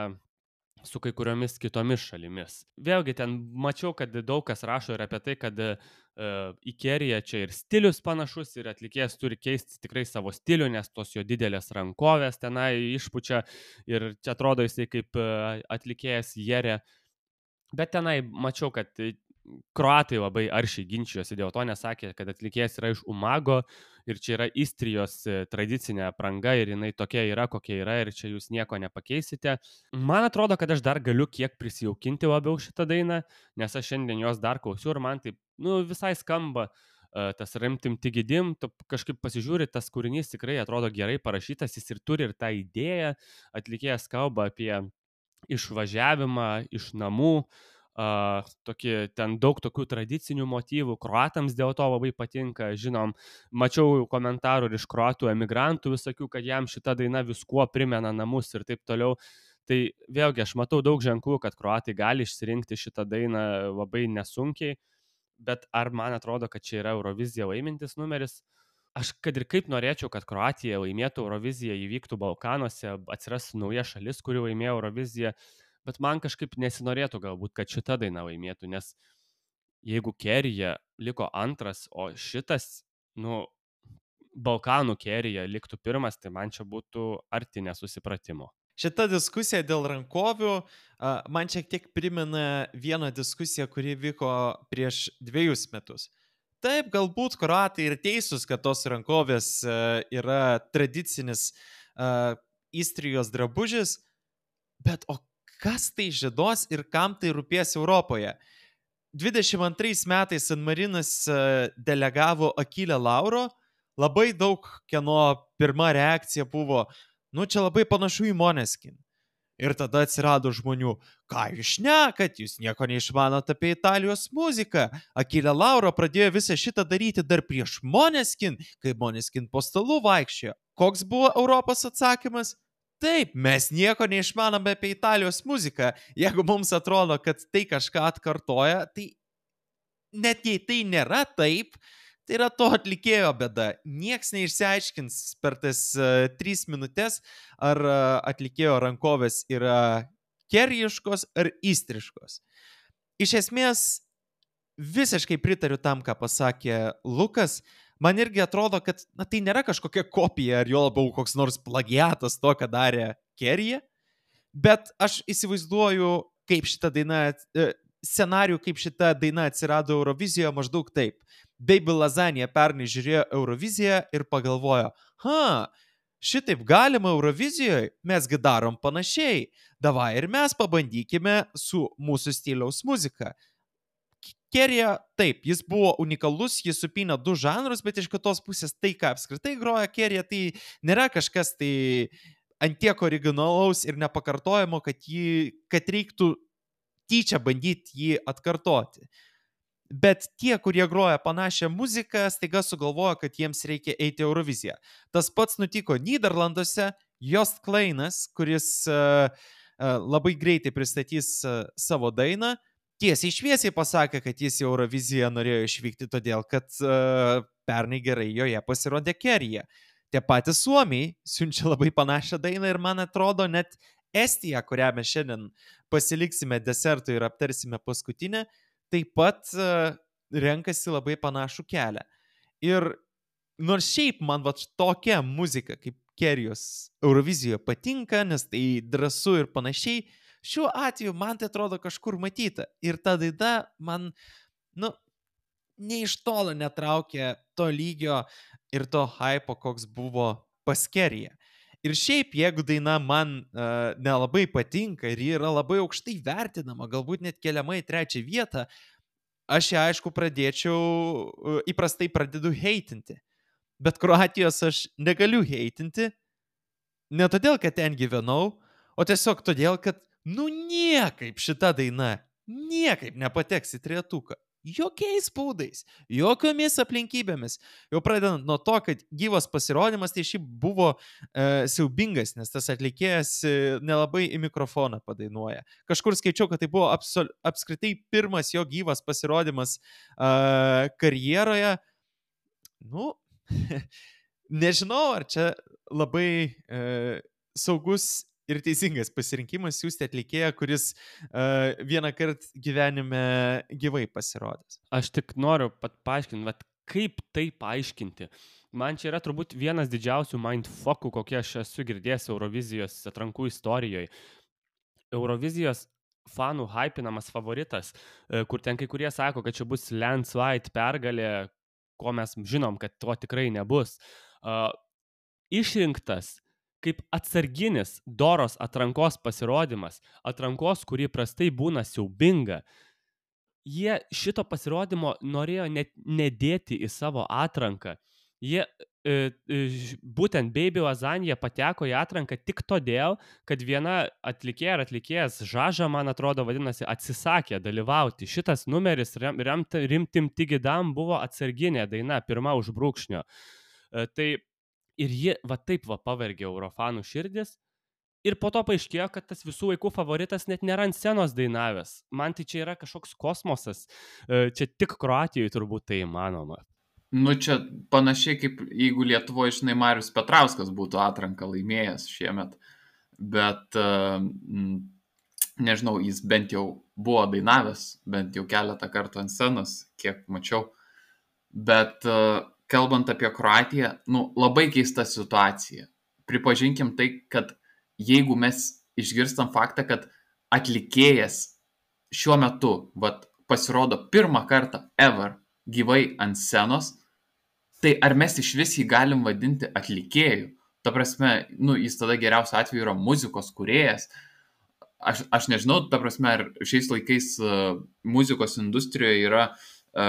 su kai kuriomis kitomis šalimis. Vėlgi ten mačiau, kad daug kas rašo ir apie tai, kad uh, į Keriją čia ir stilius panašus ir atlikėjas turi keisti tikrai savo stilių, nes tos jo didelės rankovės tenai išpučia ir čia atrodo jisai kaip uh, atlikėjas Jerė. Bet tenai mačiau, kad kroatai labai aršiai ginčijosi dėl to, nesakė, kad atlikėjas yra iš Umago ir čia yra Istrijos tradicinė apranga ir jinai tokia yra, kokia yra ir čia jūs nieko nepakeisite. Man atrodo, kad aš dar galiu kiek prisijaukinti labiau šitą dainą, nes aš šiandien jos dar klausiu ir man taip, nu, visai skamba uh, tas Rimtim Tigidim, tu kažkaip pasižiūri, tas kūrinys tikrai atrodo gerai parašytas, jis ir turi ir tą idėją, atlikėjas kalba apie išvažiavimą iš namų, Uh, tokie, ten daug tokių tradicinių motyvų, kroatams dėl to labai patinka, žinom, mačiau komentarų ir iš kroatų emigrantų visokių, kad jam šita daina viskuo primena namus ir taip toliau. Tai vėlgi aš matau daug ženklų, kad kroatai gali išsirinkti šitą dainą labai nesunkiai, bet ar man atrodo, kad čia yra Eurovizija laimintis numeris? Aš kad ir kaip norėčiau, kad Kroatija laimėtų Euroviziją, įvyktų Balkanuose, atsirastų nauja šalis, kuri laimėjo Euroviziją, bet man kažkaip nesinorėtų galbūt, kad šita daina laimėtų, nes jeigu Kerija liko antras, o šitas, nu, Balkanų Kerija liktų pirmas, tai man čia būtų arti nesusipratimo. Šita diskusija dėl rankovių man šiek tiek primena vieną diskusiją, kuri vyko prieš dviejus metus. Taip, galbūt kroatai ir teisūs, kad tos rankovės yra tradicinis Istrijos drabužis, bet o kas tai žiedos ir kam tai rūpės Europoje? dvidešimt antrais metais San Marinas delegavo Akilę Lauro, labai daug kieno pirma reakcija buvo, nu čia labai panašu į Måneskin. Ir tada atsirado žmonių, ką jūs šnekat, jūs nieko neišmanot apie Italijos muziką. Akilė Lauro pradėjo visą šitą daryti dar prieš Måneskin, kai Måneskin po stalu vaikščiojo. Koks buvo Europos atsakymas? Taip, mes nieko neišmanome apie Italijos muziką. Jeigu mums atrodo, kad tai kažką atkartoja, tai net jei tai nėra taip, tai yra to atlikėjo bėda. Nieks neišsiaiškins per tas uh, tris minutės, ar uh, atlikėjo rankovės yra kerijiškos ar istriškos. Iš esmės, visiškai pritariu tam, ką pasakė Lukas. Man irgi atrodo, kad na, tai nėra kažkokia kopija ar jo labiau koks nors plagiatas to, ką darė Kerija, bet aš įsivaizduoju, kaip šita daina, scenarijų, kaip šita daina atsirado Eurovizijoje maždaug taip. Baby Lasagna pernai žiūrėjo Euroviziją ir pagalvojo, ha, šitaip galima Eurovizijoje, mesgi darom panašiai, davai ir mes pabandykime su mūsų stiliaus muzika. Kerija, taip, jis buvo unikalus, jis supynė du žanrus, bet iš kitos pusės tai, ką apskritai groja Kerija, tai nėra kažkas tai ant tiek originalaus ir nepakartojimo, kad, jį, kad reiktų tyčia bandyti jį atkartoti. Bet tie, kurie groja panašią muziką, staiga sugalvojo, kad jiems reikia eiti Euroviziją. Tas pats nutiko Nyderlanduose, Joost Kleinas, kuris uh, uh, labai greitai pristatys uh, savo dainą, tiesiai šviesiai pasakė, kad jis į Euroviziją norėjo išvykti todėl, kad uh, pernai gerai joje pasirodė Kerija. Tie patys suomiai siunčia labai panašią dainą ir man atrodo net Estija, kurią mes šiandien pasiliksime desertui ir aptarsime paskutinę, taip pat uh, renkasi labai panašų kelią. Ir nors šiaip man va tokia muzika kaip Kerijos Eurovizijoje patinka, nes tai drąsu ir panašiai, šiuo atveju man tai atrodo kažkur matyta. Ir ta daina man, nu, ne iš tolo netraukė to lygio ir to hypo, koks buvo pas Keriją. Ir šiaip, jeigu daina man uh, nelabai patinka ir ji yra labai aukštai vertinama, galbūt net keliama į trečią vietą, aš ją aišku pradėčiau, uh, įprastai pradedu heitinti. Bet Kroatijos aš negaliu heitinti, ne todėl, kad ten gyvenau, o tiesiog todėl, kad nu niekaip šita daina, niekaip nepateks į trejetuką. Jokiais būdais, jokiomis aplinkybėmis. Jau pradedant nuo to, kad gyvas pasirodymas tai šiaip buvo e, siaubingas, nes tas atlikėjas e, nelabai į mikrofoną padainuoja. Kažkur skaičiau, kad tai buvo absol, apskritai pirmas jo gyvas pasirodymas e, karjeroje. Nu, nežinau, ar čia labai e, saugus ir teisingas pasirinkimas siūsti atlikėją, kuris uh, vieną kartą gyvenime gyvai pasirodys. Aš tik noriu pat paaiškinti, vat, kaip tai paaiškinti. Man čia yra turbūt vienas didžiausių mindfuckų, kokie aš esu girdėjęs Eurovizijos atrankų istorijoje. Eurovizijos fanų hypinamas favoritas, kur ten kai kurie sako, kad čia bus landslide pergalė, ko mes žinom, kad to tikrai nebus. Uh, išrinktas kaip atsarginis doros atrankos pasirodymas, atrankos, kuri prastai būna siaubinga, jie šito pasirodymo norėjo net nedėti į savo atranką. Jie e, e, būtent Baby Lasagna pateko į atranką tik todėl, kad viena atlikėja ar atlikėjas Žaža, man atrodo, vadinasi, atsisakė dalyvauti. Šitas numeris rem, rem, Rimtim Tigidam buvo atsarginė daina, pirma už brūkšnio. E, tai Ir ji va taip va pavergė Eurofanų širdis. Ir po to paaiškėjo, kad tas visų laikų favoritas net nėra ant scenos dainavęs. Man tai čia yra kažkoks kosmosas. Čia tik Kroatijoje turbūt tai įmanoma. Nu čia panašiai kaip jeigu Lietuvoje, žinai, Marius Petrauskas būtų atranką laimėjęs šiemet. Bet, nežinau, jis bent jau buvo dainavęs, bent jau keletą kartų ant scenos, kiek mačiau. Bet... Kalbant apie Kroatiją, nu, labai keista situacija. Pripažinkim tai, kad jeigu mes išgirstam faktą, kad atlikėjas šiuo metu vat, pasirodo pirmą kartą ever gyvai ant scenos, tai ar mes iš vis jį galim vadinti atlikėju? Ta prasme, nu, jis tada geriausiu atveju yra muzikos kūrėjas. Aš, aš nežinau, ta prasme, ar šiais laikais uh, muzikos industrijoje yra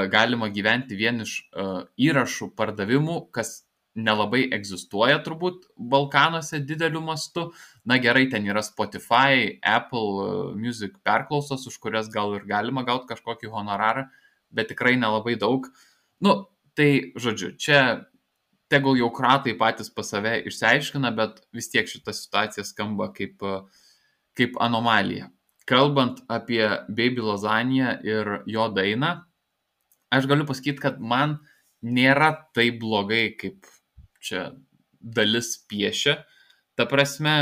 galima gyventi vien iš uh, įrašų pardavimų, kas nelabai egzistuoja turbūt Balkanuose dideliu mastu. Na gerai, ten yra Spotify, Apple uh, Music perklausos, už kurias gal ir galima gauti kažkokį honorarą, bet tikrai nelabai daug. Nu, tai, žodžiu, čia tegul jau kroatai patys pas save išsiaiškina, bet vis tiek šita situacija skamba kaip, uh, kaip anomalija. Kalbant apie Baby Lasagna ir jo dainą, aš galiu pasakyti, kad man nėra taip blogai, kaip čia dalis piešia. Ta prasme,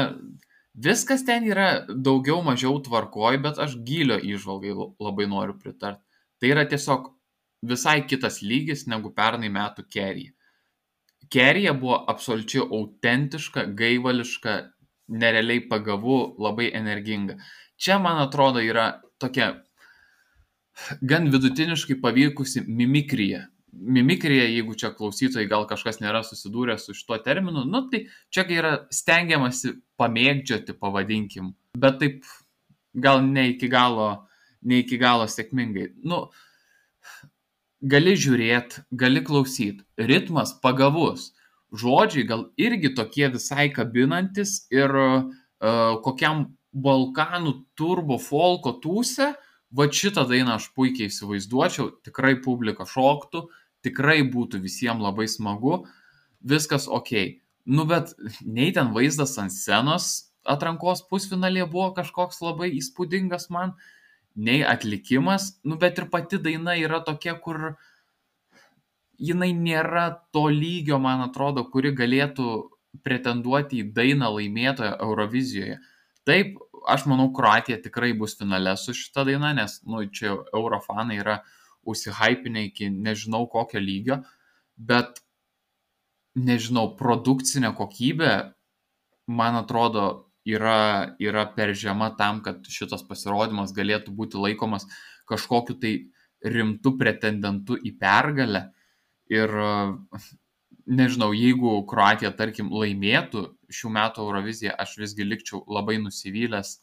viskas ten yra daugiau mažiau tvarkoj, bet aš gylio įžvalgai labai noriu pritarti. Tai yra tiesiog visai kitas lygis negu pernai metų Kerija. Kerija buvo absoliučiai autentiška, gaivališka, nerealiai pagavu, labai energinga. Čia, man atrodo, yra tokia gan vidutiniškai pavykusi mimikrija. Mimikrija, jeigu čia klausytojai gal kažkas nėra susidūrę su šituo terminu, nu tai čia yra stengiamasi pamėgdžioti, pavadinkim, bet taip gal ne iki galo, ne iki galo sėkmingai. Nu, gali žiūrėti, gali klausyti, ritmas pagavus, žodžiai gal irgi tokie visai kabinantis ir uh, kokiam Balkanų turbo folko tūse, va šitą dainą aš puikiai įsivaizduočiau, tikrai publika šoktų, tikrai būtų visiems labai smagu, viskas okei. Nu, bet nei ten vaizdas ant scenos atrankos pusfinalėje buvo kažkoks labai įspūdingas man, nei atlikimas, nu, bet ir pati daina yra tokia, kur jinai nėra to lygio, man atrodo, kuri galėtų pretenduoti į dainą laimėtoją Eurovizijoje. Taip, aš manau, Kroatija tikrai bus finale su šita daina, nes, nu, čia eurofanai yra užsihypinę iki nežinau kokio lygio, bet, nežinau, produkcinė kokybė, man atrodo, yra, yra per žema tam, kad šitas pasirodymas galėtų būti laikomas kažkokiu tai rimtu pretendentu į pergalę. Ir nežinau, jeigu Kroatija, tarkim, laimėtų šių metų Euroviziją, aš visgi likčiau labai nusivylęs,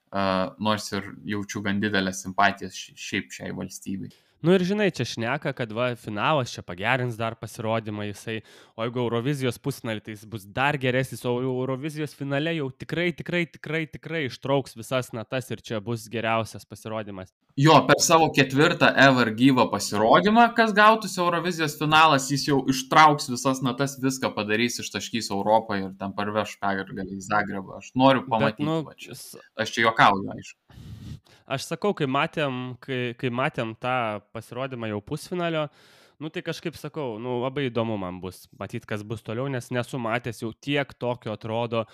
uh, nors ir jaučiu gan didelę simpatiją šiaip šiai valstybei. Nu ir žinai, čia šneka, kad va, finalas čia pagerins dar pasirodymą jisai, o jeigu Eurovizijos pusfinalį, tai jis bus dar geresnis, o Eurovizijos finale jau tikrai, tikrai, tikrai, tikrai ištrauks visas natas ir čia bus geriausias pasirodymas. Jo, per savo ketvirtą ever gyvą pasirodymą, kas gautųsi Eurovizijos finalas, jis jau ištrauks visas natas, viską padarys, ištaškys Europą ir ten parveš pergalę į Zagrebą. Aš noriu pamatyti, Bet, nu, va čia. Aš čia juokauju, aišku. Aš sakau, kai matėm, kai, kai matėm tą pasirodymą jau pusfinalio, nu tai kažkaip sakau, nu labai įdomu man bus matyti, kas bus toliau, nes nesu matęs jau tiek tokio atrodo,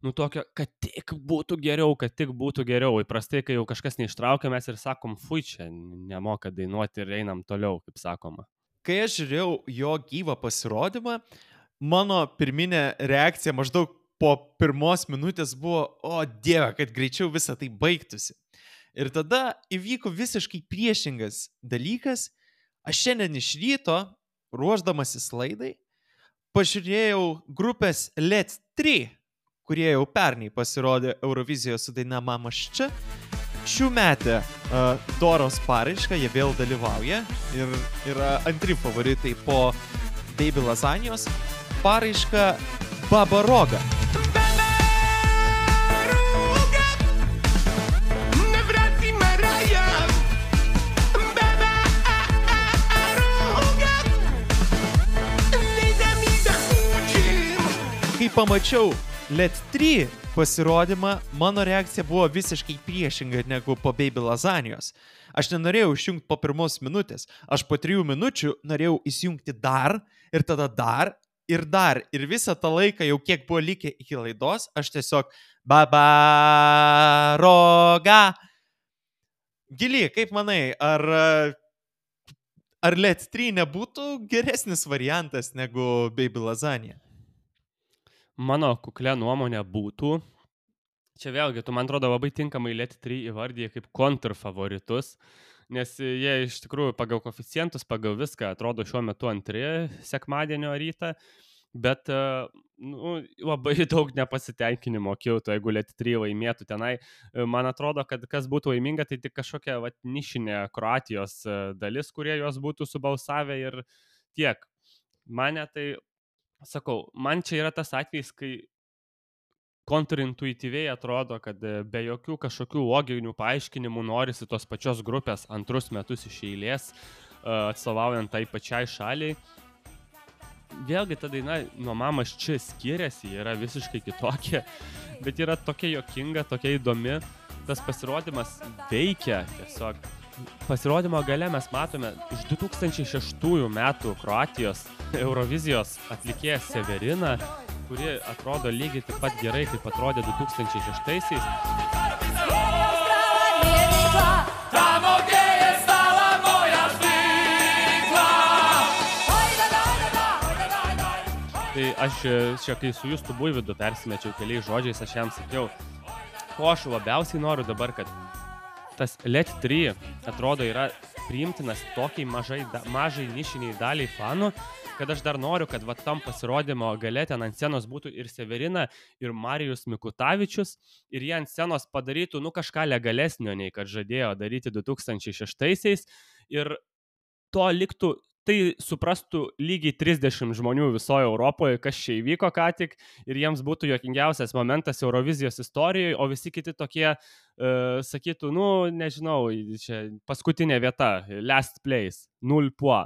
nu tokio, kad tik būtų geriau, kad tik būtų geriau. Įprastai, kai jau kažkas neištraukia, mes ir sakom, fui, čia nemoka dainuoti ir einam toliau, kaip sakoma. Kai aš žiūrėjau jo gyvą pasirodymą, mano pirminė reakcija maždaug po pirmos minutės buvo, o dieve, kad greičiau visą tai baigtųsi. Ir tada įvyko visiškai priešingas dalykas. Aš šiandien iš ryto, ruošdamasis laidai, pažiūrėjau grupės Let trys, kurie jau pernai pasirodė Eurovizijos su daina Mamaš čia. Šių metę uh, Doros paraišką, jie vėl dalyvauja ir yra antri favoritai po Baby Lasagnos. Paraiška Baba Roga. Kai pamačiau Let trys pasirodymą, mano reakcija buvo visiškai priešinga negu po Baby Lasagnos. Aš nenorėjau išjungti po pirmos minutės. Aš po trijų minučių norėjau įsijungti dar ir tada dar ir dar. Ir visą tą laiką, jau kiek buvo likę iki laidos, aš tiesiog Baba Roga. Gili, kaip manai, ar, ar Let trys nebūtų geresnis variantas negu Baby Lasagna? Mano kuklė nuomonė būtų, čia vėlgi, tu man atrodo labai tinkamai Let trys įvardyje kaip kontrfavoritus, nes jie iš tikrųjų pagal koeficientus, pagal viską atrodo šiuo metu antri sekmadienio rytą, bet nu, labai daug nepasitenkinimo kiltų, jeigu Let trys laimėtų tenai. Man atrodo, kad kas būtų laiminga, tai tik kažkokia vat, nišinė Kroatijos dalis, kurie jos būtų subalsavę ir tiek. Mane tai... Sakau, man čia yra tas atvejis, kai kontrintuityviai atrodo, kad be jokių kažkokių loginių paaiškinimų norisi tos pačios grupės antrus metus iš eilės, atstovaujant tai pačiai šaliai. Vėlgi ta daina nuo Mamaš čia skiriasi, yra visiškai kitokia, bet yra tokia juokinga, tokia įdomi. Tas pasirodymas veikia tiesiog. Pasirodymo gale mes matome iš du tūkstančiai šeštųjų metų Kroatijos Eurovizijos atlikėją Severiną, kuri atrodo lygiai taip pat gerai, kaip atrodė du tūkstančiai šeštaisiais. Tai aš čia, kai su Justu Buivydu persimečiau keliais žodžiais, aš jam sakiau, ko aš labiausiai noriu dabar, kad tas Let trys atrodo yra priimtinas tokiai mažai, da, mažai nišiniai daliai fanų, kad aš dar noriu, kad va tam pasirodymo gale ten ant scenos būtų ir Severina, ir Marijus Mikutavičius, ir jie ant scenos padarytų nu kažką legalesnio, nei kad žadėjo daryti du tūkstančiai šeštaisiais, ir to liktų, tai suprastų lygiai trisdešimt žmonių visoje Europoje, kas čia įvyko ką tik, ir jiems būtų juokingiausias momentas Eurovizijos istorijoje, o visi kiti tokie uh, sakytų, nu, nežinau, čia paskutinė vieta, last place, null puo.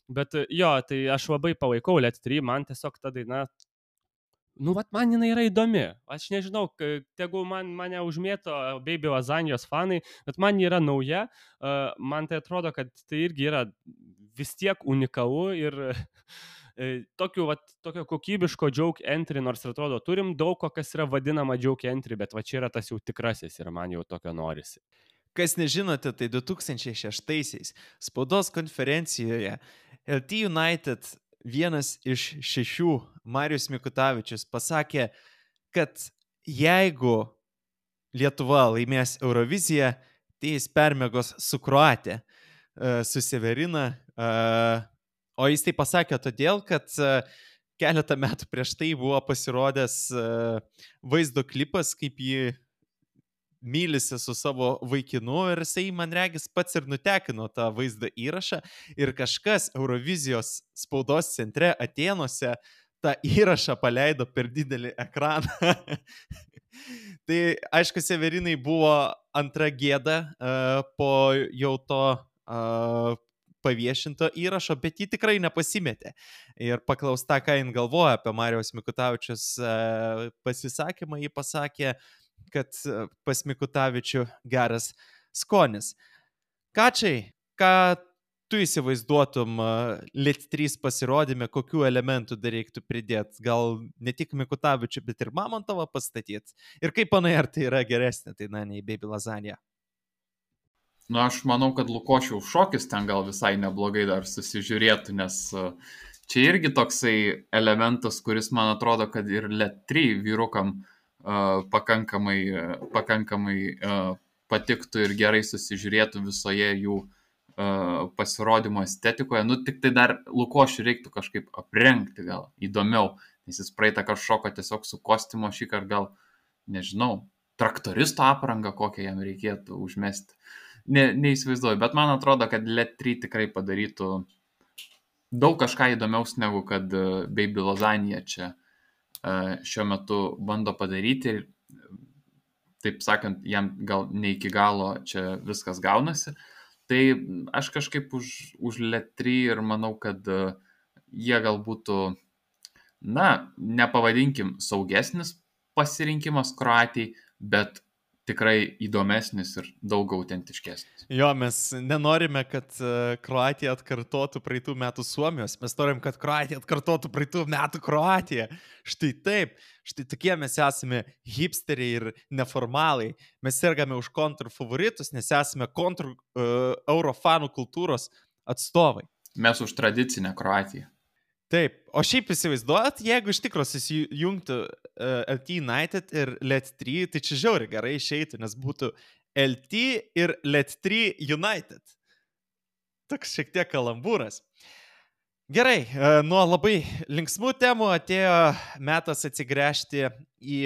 Bet jo, tai aš labai palaikau Let trys, man tiesiog ta daina, nu, vat man jinai yra įdomi. Aš nežinau, tegu man, mane užmėto Baby Lasagnos fanai, bet man yra nauja, uh, man tai atrodo, kad tai irgi yra vis tiek unikalu ir e, tokiu, vat, tokio kokybiško joke entry, nors atrodo, turim daug ko, kas yra vadinama joke entry, bet va čia yra tas jau tikrasis ir man jau tokio norisi. Kas nežinote, tai du tūkstančiai šeštaisiais spaudos konferencijoje L T United vienas iš šešių, Marijus Mikutavičius, pasakė, kad jeigu Lietuva laimės Euroviziją, tai jis permegos su Kroatija, su Severina. O jis tai pasakė todėl, kad keletą metų prieš tai buvo pasirodęs vaizdo klipas, kaip jį mylisi su savo vaikinu ir jisai, man regis, pats ir nutekino tą vaizdo įrašą ir kažkas Eurovizijos spaudos centre Atėnuose tą įrašą paleido per didelį ekraną. Tai, aišku, Severinai buvo antra gėda uh, po jau to uh, paviešinto įrašo, bet jį tikrai nepasimetė. Ir paklausta, ką jin galvoja apie Marijaus Mikutavičius uh, pasisakymą, jį pasakė, kad pas Mikutavičių geras skonis. Kačiai, ką tu įsivaizduotum Lit trys pasirodyme, kokių elementų dar reiktų pridėti? Gal ne tik Mikutavičių, bet ir Mamontovą pastatyti? Ir kaip manai, ar tai yra geresnė, tai na, nei Baby Lasagna? Nu, aš manau, kad Lukošiaus šokis ten gal visai neblogai dar susižiūrėtų, nes čia irgi toksai elementas, kuris man atrodo, kad ir Lit trys vyrukam Uh, pakankamai, uh, pakankamai uh, patiktų ir gerai susižiūrėtų visoje jų uh, pasirodymo estetikoje. Nu, tik tai dar Lukošių reiktų kažkaip aprengti gal įdomiau, nes jis praeitą kartą šoko tiesiog su kostiumo, šį kartą gal, nežinau, traktoristo aprangą kokią jam reikėtų užmesti. Ne, neįsivaizduoju, bet man atrodo, kad Lit trys tikrai padarytų daug kažką įdomiaus, negu kad uh, Baby Lasagna čia šiuo metu bando padaryti ir, taip sakant, jam gal ne iki galo čia viskas gaunasi. Tai aš kažkaip už, už Lit trys ir manau, kad jie gal būtų, na, nepavadinkim saugesnis pasirinkimas Kroatijai, bet tikrai įdomesnis ir daug autentiškesnis. Jo, mes nenorime, kad Kroatija atkartotų praeitų metų Suomijos, mes norim, kad Kroatija atkartotų praeitų metų Kroatiją. Štai taip, štai tokie mes esame hipsteriai ir neformalai. Mes sergame už kontrfavoritus, nes esame kontr uh, eurofanų kultūros atstovai. Mes už tradicinę Kroatiją. Taip, o šiaip įsivaizduojat, jeigu iš tikro susijungtų uh, L T United ir Lit trys, tai čia žiauri gerai išeitų, nes būtų L T ir Lit trys United. Toks šiek tiek kalambūras. Gerai, uh, nuo labai linksmų temų atėjo metas atsigręžti į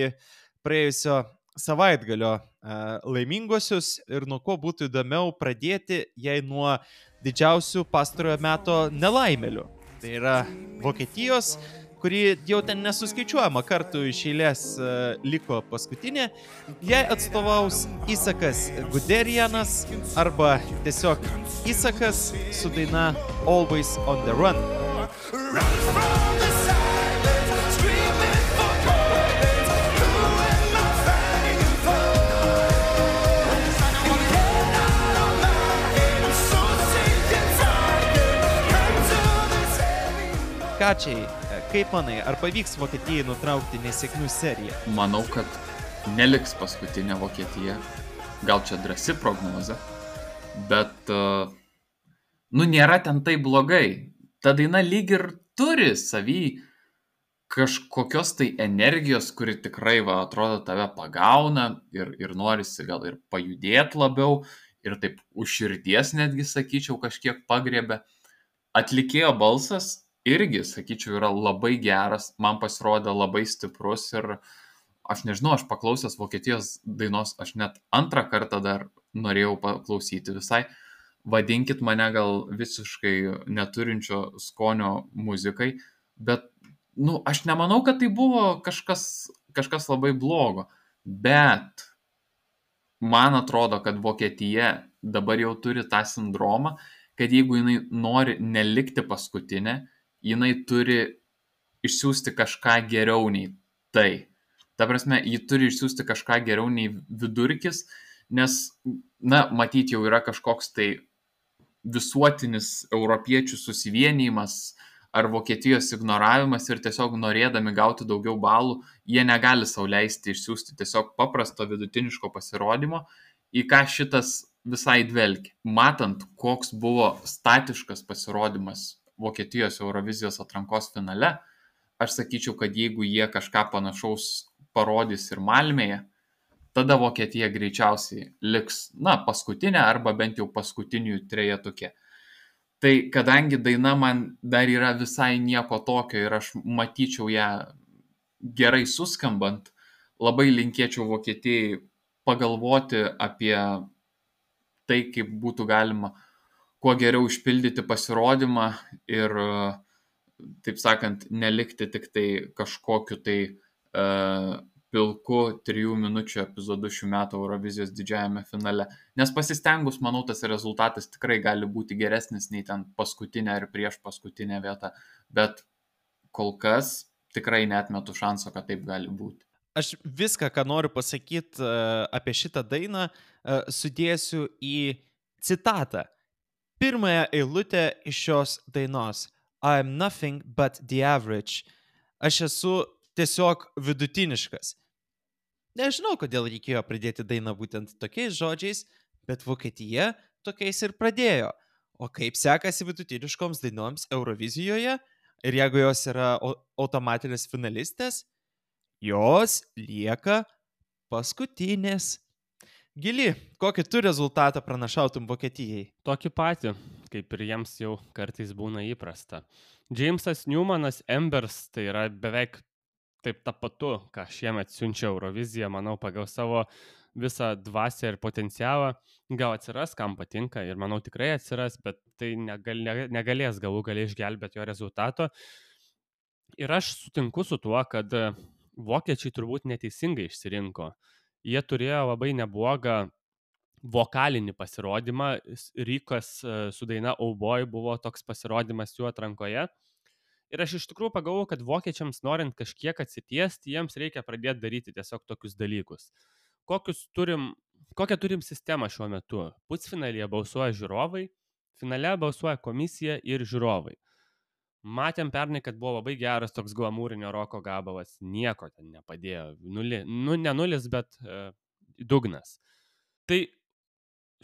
praėjusio savaitgalio uh, laimingosius ir nuo ko būtų įdomiau pradėti, jei nuo didžiausių pastarojo meto nelaimelių. Tai yra Vokietijos, kuri jau ten nesuskaičiuojama kartų iš eilės uh, liko paskutinė. Jai atstovaus Isakas Guderianas arba tiesiog Isakas su daina Always on the Run. Kačiai, kaip manai, ar pavyks Vokietijai nutraukti nesėkmių seriją? Manau, kad neliks paskutinė Vokietija. Gal čia drąsi prognozė, bet, nu, nėra ten tai blogai. Ta daina lyg ir turi savy kažkokios tai energijos, kuri tikrai, va, atrodo, tave pagauna ir, ir norisi gal ir pajudėti labiau ir taip už širdies netgi, sakyčiau, kažkiek pagriebė. Atlikėjo balsas irgi, sakyčiau, yra labai geras, man pasirodė labai stiprus ir aš nežinau, aš paklausęs Vokietijos dainos, aš net antrą kartą dar norėjau paklausyti visai. Vadinkit mane gal visiškai neturinčio skonio muzikai, bet, nu, aš nemanau, kad tai buvo kažkas, kažkas labai blogo, bet man atrodo, kad Vokietija dabar jau turi tą sindromą, kad jeigu jinai nori nelikti paskutinė, jinai turi išsiųsti kažką geriau nei tai. Ta prasme, ji turi išsiųsti kažką geriau nei vidurkis, nes, na, matyt, jau yra kažkoks tai visuotinis europiečių susivienijimas ar Vokietijos ignoravimas ir tiesiog norėdami gauti daugiau balų, jie negali sau leisti išsiųsti tiesiog paprasto vidutiniško pasirodymo, į ką šitas visai dvelkia. Matant, koks buvo statiškas pasirodymas Vokietijos Eurovizijos atrankos finale, aš sakyčiau, kad jeigu jie kažką panašaus parodys ir Malmėje, tada Vokietija greičiausiai liks, na, paskutinė arba bent jau paskutinių trejetuke. Tai kadangi daina man dar yra visai nieko tokio ir aš matyčiau ją gerai suskambant, labai linkėčiau Vokietijai pagalvoti apie tai, kaip būtų galima kuo geriau išpildyti pasirodymą ir, taip sakant, nelikti tik tai kažkokiu tai uh, pilku trijų minučių epizodu šių metų Eurovizijos didžiajame finale. Nes pasistengus, manau, tas rezultatas tikrai gali būti geresnis nei ten paskutinė ar prieš paskutinę vietą, bet kol kas tikrai neatmetu šanso, kad taip gali būti. Aš viską, ką noriu pasakyti uh, apie šitą dainą, uh, sudėsiu į citatą. Pirmąją eilutę iš šios dainos. I am nothing but the average. Aš esu tiesiog vidutiniškas. Nežinau, kodėl reikėjo pradėti dainą būtent tokiais žodžiais, bet Vokietija tokiais ir pradėjo. O kaip sekasi vidutiniškoms dainoms Eurovizijoje? Ir jeigu jos yra automatinės finalistės, jos lieka paskutinės. Gili, kokį tu rezultatą pranašautum Vokietijai? Tokį patį, kaip ir jiems jau kartais būna įprasta. Jamesas Newmanas Embers tai yra beveik taip tapatu, ką šiemet siunčia Eurovizija, manau, pagal savo visą dvasią ir potencialą. Gal atsiras, kam patinka ir manau tikrai atsiras, bet tai negal, negalės galų galiai išgelbėti jo rezultato. Ir aš sutinku su tuo, kad vokiečiai turbūt neteisingai išsirinko. Jie turėjo labai neblogą vokalinį pasirodymą. Rykas su daina Oh Boy buvo toks pasirodymas jų atrankoje. Ir aš iš tikrųjų pagalvojau, kad vokiečiams norint kažkiek atsitiesti, jiems reikia pradėti daryti tiesiog tokius dalykus. Kokius turim, kokią turim sistemą šiuo metu? Pusfinalyje balsuoja žiūrovai, finale balsuoja komisija ir žiūrovai. Matėm pernai, kad buvo labai geras toks glamūrinio roko gabalas, nieko ten nepadėjo, Nuli, nu ne nulis, bet e, dugnas. Tai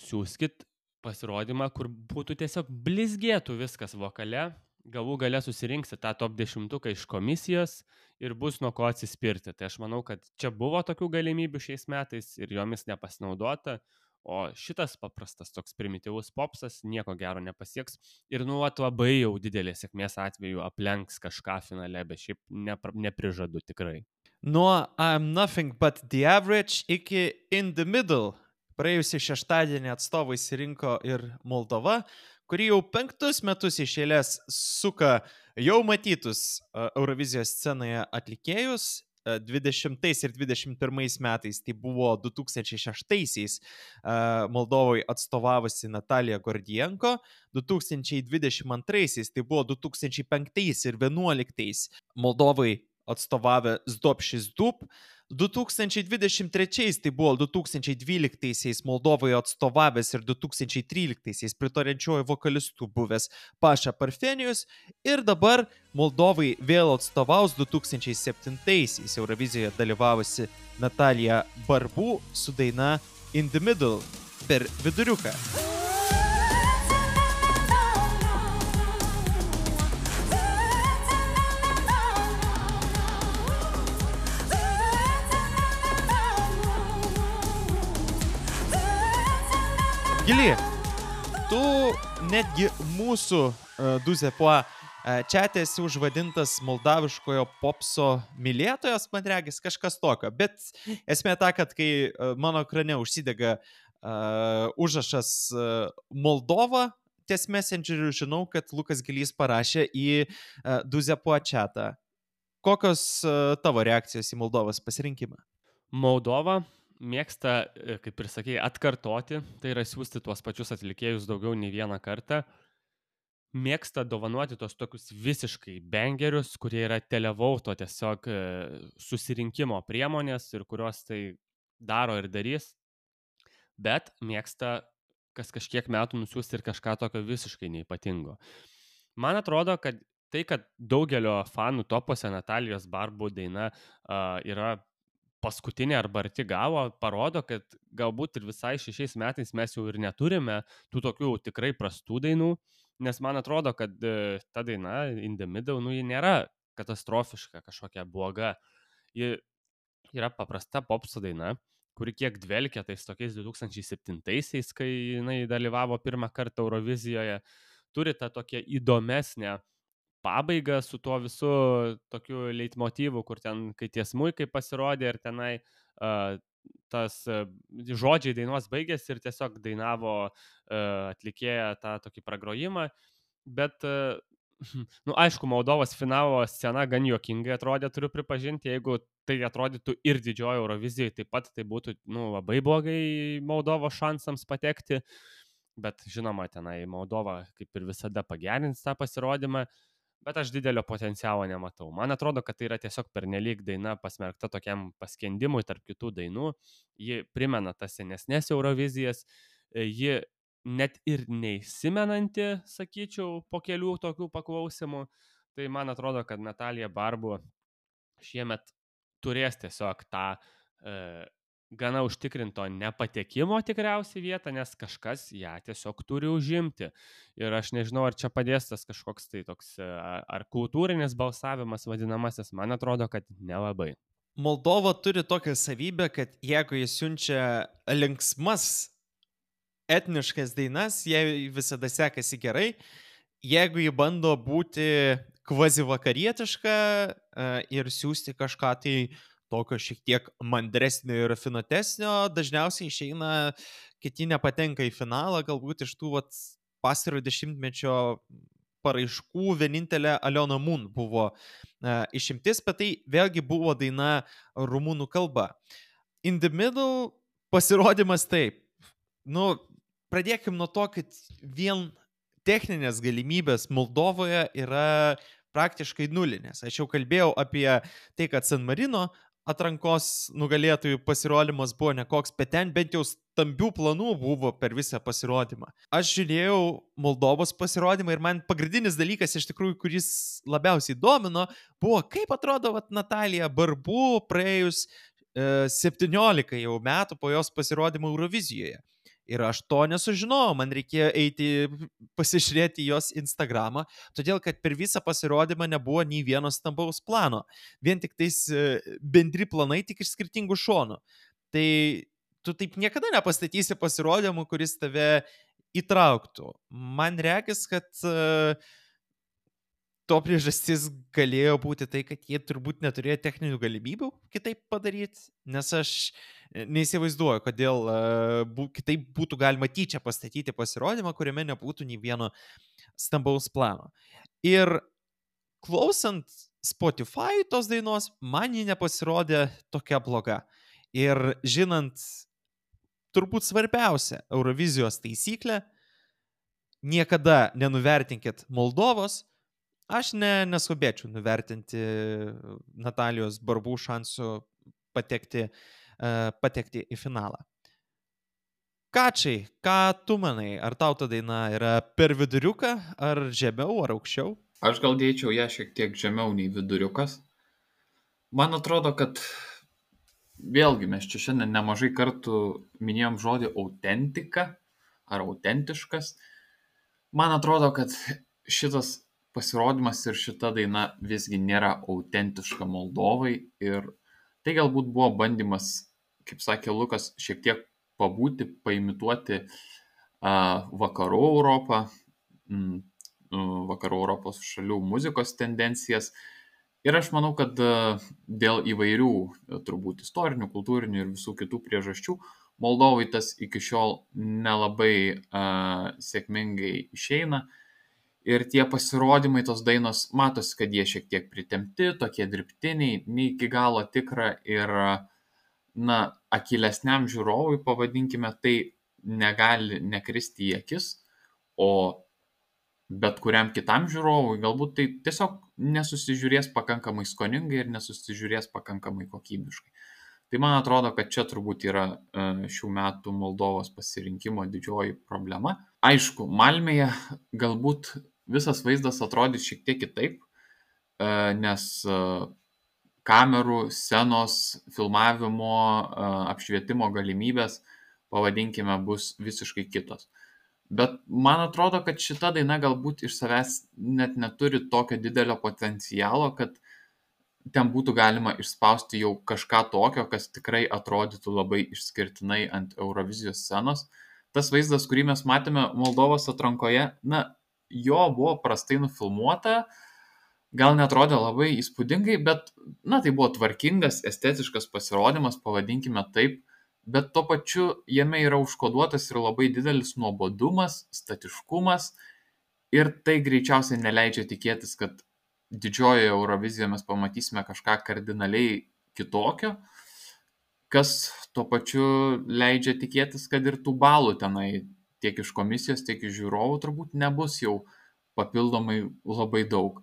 siūskit pasirodymą, kur būtų tiesiog blizgėtų viskas vokale, galų gale susirinksi tą top dešimtuką iš komisijos ir bus nuo ko atsispirti. Tai aš manau, kad čia buvo tokių galimybių šiais metais ir jomis nepasinaudota, o šitas paprastas toks primityvus popsas nieko gero nepasieks ir nuot labai jau didelės sėkmės atveju aplenks kažką finale, bet šiaip nepr- neprižadu tikrai. Nuo I'm nothing but the average iki in the middle. Praėjusį šeštadienį atstovai išsirinko ir Moldova, kuri jau penktus metus iš eilės suka jau matytus uh, Eurovizijos scenoje atlikėjus. Uh, dvidešimtais ir dvidešimt pirmais metais tai buvo du tūkstančiai šeštaisiais uh, Moldovai atstovavusi Natalija Gordienko, du tūkstančiai dvidešimt antraisiais tai buvo du tūkstančiai penktais ir vienuoliktais Moldovai atstovavę Zdopšis Dub, du tūkstančiai dvidešimt trečiais tai buvo du tūkstančiai dvyliktaisiais Moldovai atstovavęs ir du tūkstančiai tryliktaisiais pritarančiuoju vokalistu buvęs Paša Parfenijus ir dabar Moldovai vėl atstovaus du tūkstančiai septintaisiais Eurovizijoje dalyvavusi Natalija Barbu su daina In the Middle per viduriuką. Gili, tu netgi mūsų uh, Duzepo uh, čiate esi užvadintas moldaviškojo popso mylėtojas, man regis, kažkas tokio. Bet esmė ta, kad kai uh, mano ekrane užsidega uh, užrašas uh, Moldova, ties Messengeriu žinau, kad Lukas Gilys parašė į uh, Duzepo čiatą. Kokios uh, tavo reakcijos į Moldovos pasirinkimą? Moldova mėgsta, kaip ir sakei, atkartoti, tai yra siūsti tuos pačius atlikėjus daugiau nei vieną kartą. Mėgsta dovanoti tos tokius visiškai bangerius, kurie yra televauto tiesiog susirinkimo priemonės ir kurios tai daro ir darys. Bet mėgsta kas kažkiek metų nusiųsti ir kažką tokio visiškai neypatingo. Man atrodo, kad tai, kad daugelio fanų topuose Natalijos Barbu daina uh, yra paskutinė arba arti galo, parodo, kad galbūt ir visai šešiais metais mes jau ir neturime tų tokių tikrai prastų dainų, nes man atrodo, kad ta daina In the Middle, nu, ji nėra katastrofiška, kažkokia bloga. Ji yra paprasta popso daina, kuri kiek dvelkia tais tokiais du tūkstančiai septintaisiais, kai jinai dalyvavo pirmą kartą Eurovizijoje. turi tą tokią įdomesnę pabaigą su tuo visu tokiu leitmotyvu, kur ten, kai tie smuikai pasirodė ir tenai uh, tas uh, žodžiai dainos baigėsi ir tiesiog dainavo uh, atlikėja tą tokį pragrojimą, bet uh, nu, aišku, Moldovos finalo scena gan juokingai atrodė, turiu pripažinti, jeigu tai atrodytų ir didžioji Eurovizijai, taip pat tai būtų nu, labai blogai Moldovos šansams patekti, bet žinoma, tenai Moldova kaip ir visada pagerins tą pasirodymą, bet aš didelio potencialo nematau. Man atrodo, kad tai yra tiesiog pernelyg daina pasmerkta tokiam paskendimui tarp kitų dainų, ji primena tas senesnės Eurovizijas, ji net ir neįsimenanti, sakyčiau, po kelių tokių paklausimų. Tai man atrodo, kad Natalija Barbu šiemet turės tiesiog tą e, gana užtikrinto nepatekimo tikriausiai vietą, nes kažkas ją tiesiog turi užimti. Ir aš nežinau, ar čia padės tas kažkoks tai toks, ar kultūrinis balsavimas vadinamasis, man atrodo, kad nelabai. Moldova turi tokią savybę, kad jeigu jis siunčia linksmas etniškas dainas, jai visada sekasi gerai. Jeigu jį bando būti kvazi vakarietiška ir siūsti kažką tai tokio šiek tiek mandresnio ir rafinuotesnio, dažniausiai išeina, kiti nepatenka į finalą, galbūt iš tų vat, pastarojo dešimtmečio paraiškų vienintelė Aliona Mun buvo uh, išimtis, bet tai vėlgi buvo daina rumunų kalba. In the Middle pasirodymas taip. Nu, pradėkim nuo to, kad vien techninės galimybės Moldovoje yra praktiškai nulinės. Aš jau kalbėjau apie tai, kad San Marino atrankos nugalėtojų pasirodymas buvo nekoks, bet ten bent jau stambių planų buvo per visą pasirodymą. Aš žiūrėjau Moldovos pasirodymą ir man pagrindinis dalykas, iš tikrųjų, kuris labiausiai domino, buvo, kaip atrodo vat, Natalija Barbu praėjus e, septyniolika jau metų po jos pasirodymo Eurovizijoje. Ir aš to nesužinojau, man reikėjo eiti pasižiūrėti jos Instagramą, todėl kad per visą pasirodymą nebuvo nei vieno stambaus plano. Vien tik tais bendri planai, tik iš skirtingų šonų. Tai tu taip niekada nepastatysi pasirodymų, kuris tave įtrauktų. Man regis, kad uh, to priežastis galėjo būti tai, kad jie turbūt neturėjo techninių galimybių kitaip padaryti, nes aš neįsivaizduoju, kodėl uh, bu, kitaip būtų galima tyčia pastatyti pasirodymą, kuriame nebūtų nei vieno stambaus plano. Ir klausant Spotify tos dainos, man ji nepasirodė tokia bloga. Ir žinant turbūt svarbiausia Eurovizijos taisyklę, niekada nenuvertinkit Moldovos, aš ne, neskubėčiau nuvertinti Natalijos Barbu šansų patekti patekti į finalą. Kačiai, ką tu manai? Ar tau ta daina yra per viduriuką, ar žemiau, ar aukščiau? Aš gal dėčiau ją šiek tiek žemiau nei viduriukas. Man atrodo, kad vėlgi mes čia šiandien nemažai kartų minėjom žodį autentika ar autentiškas. Man atrodo, kad šitas pasirodymas ir šita daina visgi nėra autentiška Moldovai ir tai galbūt buvo bandymas, kaip sakė Lukas, šiek tiek pabūti, paimituoti uh, vakarų Europą, mm, vakarų Europos šalių muzikos tendencijas. Ir aš manau, kad uh, dėl įvairių, turbūt istorinių, kultūrinių ir visų kitų priežasčių, Moldovai tas iki šiol nelabai uh, sėkmingai išeina. Ir tie pasirodymai, tos dainos, matosi, kad jie šiek tiek pritempti, tokie dirbtiniai, ne iki galo tikra ir na, akylesniam žiūrovui, pavadinkime, tai negali nekristi į akis, o bet kuriam kitam žiūrovui galbūt tai tiesiog nesusižiūrės pakankamai skoningai ir nesusižiūrės pakankamai kokybiškai. Tai man atrodo, kad čia turbūt yra šių metų Moldovos pasirinkimo didžioji problema. Aišku, Malmėje galbūt visas vaizdas atrodys šiek tiek kitaip, nes kamerų, scenos, filmavimo, apšvietimo galimybės, pavadinkime, bus visiškai kitos. Bet man atrodo, kad šita daina galbūt iš savęs net neturi tokio didelio potencialo, kad ten būtų galima išspausti jau kažką tokio, kas tikrai atrodytų labai išskirtinai ant Eurovizijos scenos. Tas vaizdas, kurį mes matėme Moldovos atrankoje, na, jo buvo prastai nufilmuota, gal netrodė labai įspūdingai, bet, na, tai buvo tvarkingas, estetiškas pasirodymas, pavadinkime taip, bet tuo pačiu jame yra užkoduotas ir labai didelis nuobodumas, statiškumas ir tai greičiausiai neleidžia tikėtis, kad didžiojoje Eurovizijoje mes pamatysime kažką kardinaliai kitokio, kas tuo pačiu leidžia tikėtis, kad ir tų balų tenai tiek iš komisijos, tiek iš žiūrovų turbūt nebus jau papildomai labai daug.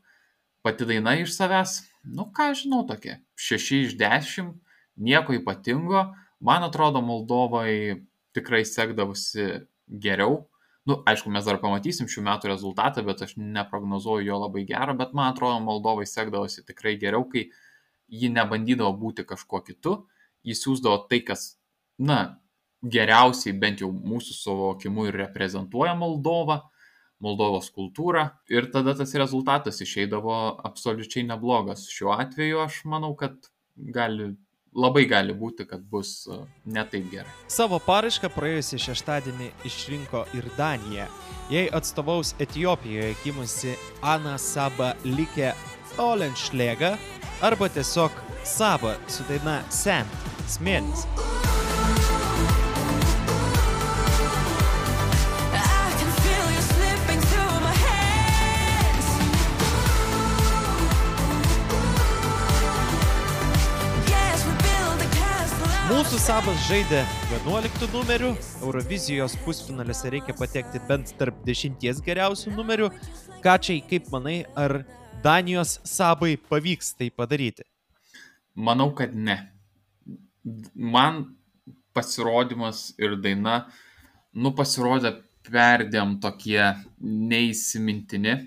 Pati daina iš savęs, nu ką žinau, tokia šeši iš dešimt, nieko ypatingo. Man atrodo, Moldovai tikrai sekdavosi geriau. Nu, aišku, mes dar pamatysim šių metų rezultatą, bet aš neprognozuoju jo labai gero, bet man atrodo, Moldovai sekdavosi tikrai geriau, kai ji nebandydavo būti kažkuo kitu, ji siūsdavo tai, kas, na, geriausiai bent jau mūsų suvokimu ir reprezentuoja Moldovą, Moldovos kultūrą ir tada tas rezultatas išeidavo absoliučiai neblogas. Šiuo atveju aš manau, kad gali, labai gali būti, kad bus ne taip gerai. Savo paraišką praėjusį šeštadienį išrinko ir Danija. Jai atstovaus Etiopijoje gimusi Ana Saba Like Olenšlega arba tiesiog Saba su daina Sand, smėlis. Mūsų Sabas žaidė vienuoliktų numerių, Eurovizijos pusfinaliuose reikia patekti bent tarp dešimties geriausių numerių. Kačiai, kaip manai, ar Danijos Sabai pavyks tai padaryti? Manau, kad ne. Man pasirodymas ir daina, nu pasirodė perdėm tokie neįsimintini.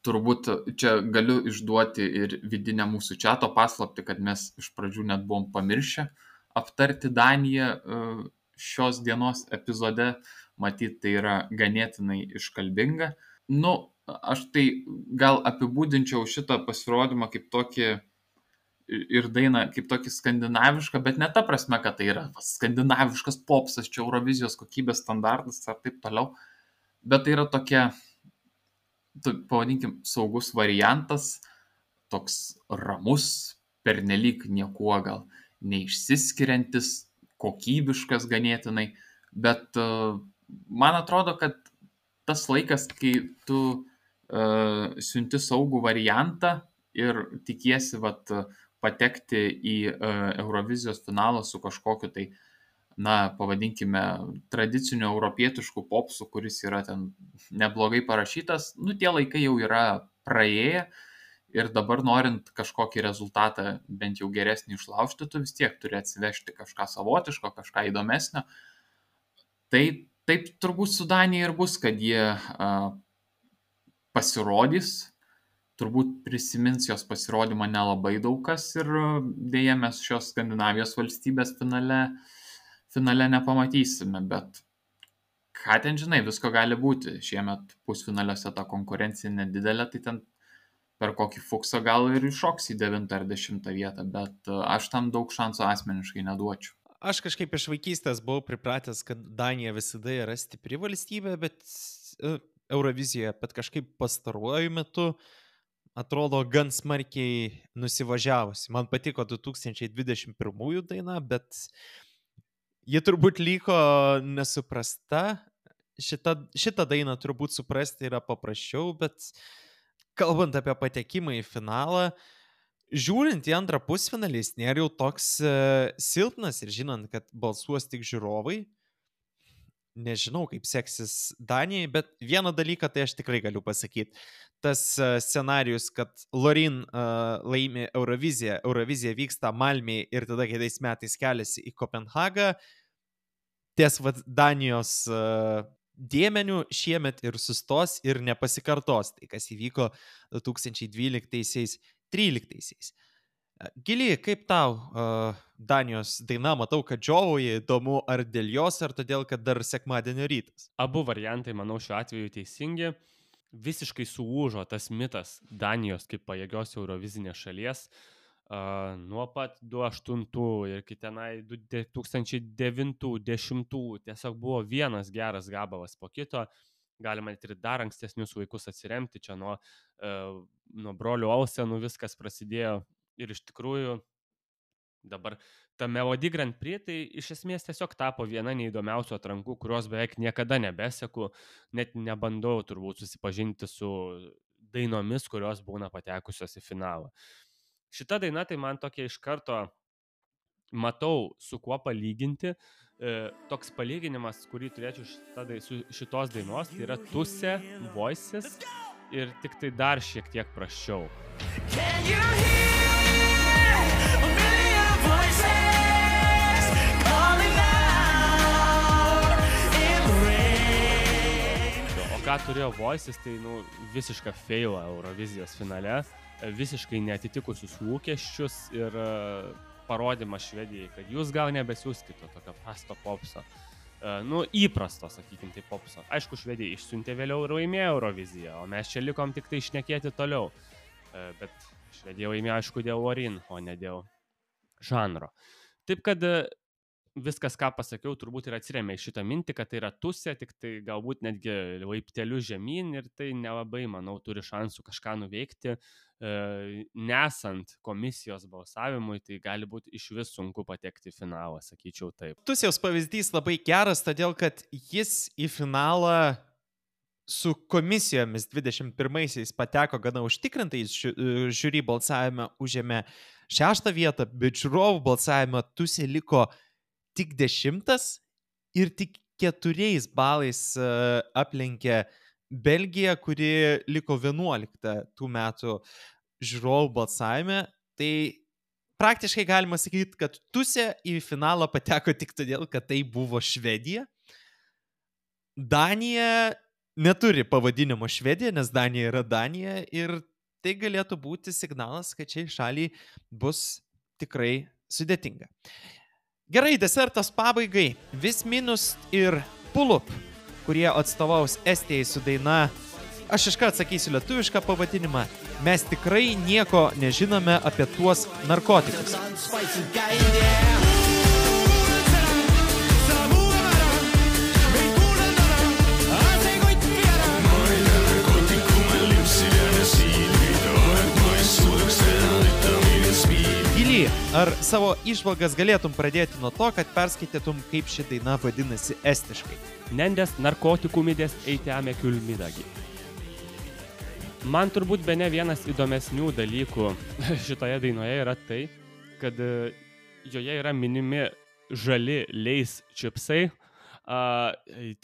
Turbūt čia galiu išduoti ir vidinę mūsų čiato paslaptį, kad mes iš pradžių net buvom pamiršę aptarti Daniją šios dienos epizode, matyt, tai yra ganėtinai iškalbinga. Nu, aš tai gal apibūdinčiau šitą pasirodymą kaip tokį ir dainą kaip tokį skandinavišką, bet ne ta prasme, kad tai yra skandinaviškas popsas, čia Eurovizijos kokybės standartas ar taip toliau, bet tai yra tokia, pavadinkim, saugus variantas, toks ramus, pernelyg niekuo gal neišsiskiriantis, kokybiškas ganėtinai, bet uh, man atrodo, kad tas laikas, kai tu uh, siunti saugų variantą ir tikiesi vat, patekti į uh, Eurovizijos finalą su kažkokiu tai, na, pavadinkime, tradiciniu europietišku popsu, kuris yra ten neblogai parašytas, nu, tie laikai jau yra praėję. Ir dabar norint kažkokį rezultatą bent jau geresnį išlaužti, tu vis tiek turi atsivežti kažką savotiško, kažką įdomesnio. Tai taip turbūt su Danija ir bus, kad jie a, pasirodys, turbūt prisimins jos pasirodymą nelabai daug kas ir dėja mes šios Skandinavijos valstybės finale, finale nepamatysime, bet ką ten žinai, visko gali būti. Šiemet pusfinaliuose ta konkurencija nedidelė, tai ten per kokį fuksą gal ir iššoks į devintą ar dešimtą vietą, bet aš tam daug šansų asmeniškai neduočiau. Aš kažkaip iš vaikystės buvau pripratęs, kad Danija visada yra stipri valstybė, bet Eurovizijoje, bet kažkaip pastaruoju metu atrodo gan smarkiai nusivažiavusi. Man patiko du tūkstančiai dvidešimt pirmųjų daina, bet ji turbūt liko nesuprasta. Šitą, šitą dainą turbūt suprasti yra paprasčiau, bet kalbant apie patekimą į finalą, žiūrint į antrą pusfinalį, jis nėra jau toks uh, silpnas ir žinant, kad balsuos tik žiūrovai, nežinau, kaip seksis Danijai, bet vieną dalyką tai aš tikrai galiu pasakyti. Tas uh, scenarius, kad Lorin uh, laimi Euroviziją, Eurovizija vyksta Malmėje ir tada kitais metais keliasi į Kopenhagą, ties vat, Danijos uh, dėmenių šiemet ir sustos ir nepasikartos. Tai kas įvyko du tūkstančiai dvyliktaisiais tryliktaisiais. Gili, kaip tau uh, Danijos daina? Matau, kad džiovauji, įdomu, ar dėl jos, ar todėl, kad dar sekmadienio rytas? Abu variantai, manau, šiuo atveju teisingi. Visiškai suūžo tas mitas Danijos kaip pajėgios Eurovizinės šalies. Uh, nuo pat du tūkstančiai aštuntų ir kitenai du tūkstančiai devintų dešimtų tiesiog buvo vienas geras gabalas po kito galima net ir dar ankstesnius vaikus atsiremti, čia nuo, nuo brolių Olsenų viskas prasidėjo ir iš tikrųjų dabar ta Melody Grand Prix tai iš esmės tiesiog tapo viena neįdomiausių atrankų, kurios beveik niekada nebeseku, net nebandau turbūt susipažinti su dainomis, kurios būna patekusios į finalą. Šita daina tai man tokia iš karto matau, su kuo palyginti. E, toks palyginimas, kurį turėčiau šita, su šitos dainos, tai yra Tuse, Voices ir tik tai dar šiek tiek prasčiau. Can you hear a million voices calling out in the rain? O ką turėjo Voices, tai nu, visišką failą Eurovizijos finale, visiškai neatitikusius lūkesčius ir parodymas Švedijai, kad jūs gal nebesiūskite tokio prasto popso. Uh, nu, įprasto, sakykim, tai popso. Aišku, Švedija išsiuntė vėliau ir laimėjo Euroviziją, o mes čia likom tik tai šnekėti toliau. Uh, bet Švedija laimėjo, aišku, dėl Lorin, o ne dėl žanro. Taip, kad uh, viskas, ką pasakiau, turbūt ir atsiremia į šitą mintį, kad tai yra Tuse, tik tai galbūt netgi laipteliu žemyn ir tai nelabai, manau, turi šansų kažką nuveikti. Nesant komisijos balsavimui, tai gali būti iš vis sunku patekti į finalą, sakyčiau taip. Tusiaus pavyzdys labai geras, todėl kad jis į finalą su komisijomis dvidešimt pirmaisiais pateko gana užtikrintai, žiūri balsavime užėmė šeštą vietą, bet žiūrovų balsavime Tusė liko tik dešimtas ir tik keturiais balais aplenkė Belgija, kuri liko vienuolikta tų metų žiūrovų balsavime. Tai praktiškai galima sakyti, kad Tusė į finalą pateko tik todėl, kad tai buvo Švedija. Danija neturi pavadinimo Švedija, nes Danija yra Danija ir tai galėtų būti signalas, kad šiai šaliai bus tikrai sudėtinga. Gerai, desertas pabaigai. Vis minus ir Pull Up, kurie atstovaus Estijai su daina, aš iškart atsakysiu lietuvišką pavadinimą, mes tikrai nieko nežinome apie tuos narkotikus. Gili, ar savo įžvalgas galėtum pradėti nuo to, kad perskaitytum, kaip ši daina vadinasi estiškai? Nendes narkotikumidės eiteame külmidagi. Man turbūt bene vienas įdomesnių dalykų šitoje dainoje yra tai, kad joje yra minimi žali leis čipsai. Uh,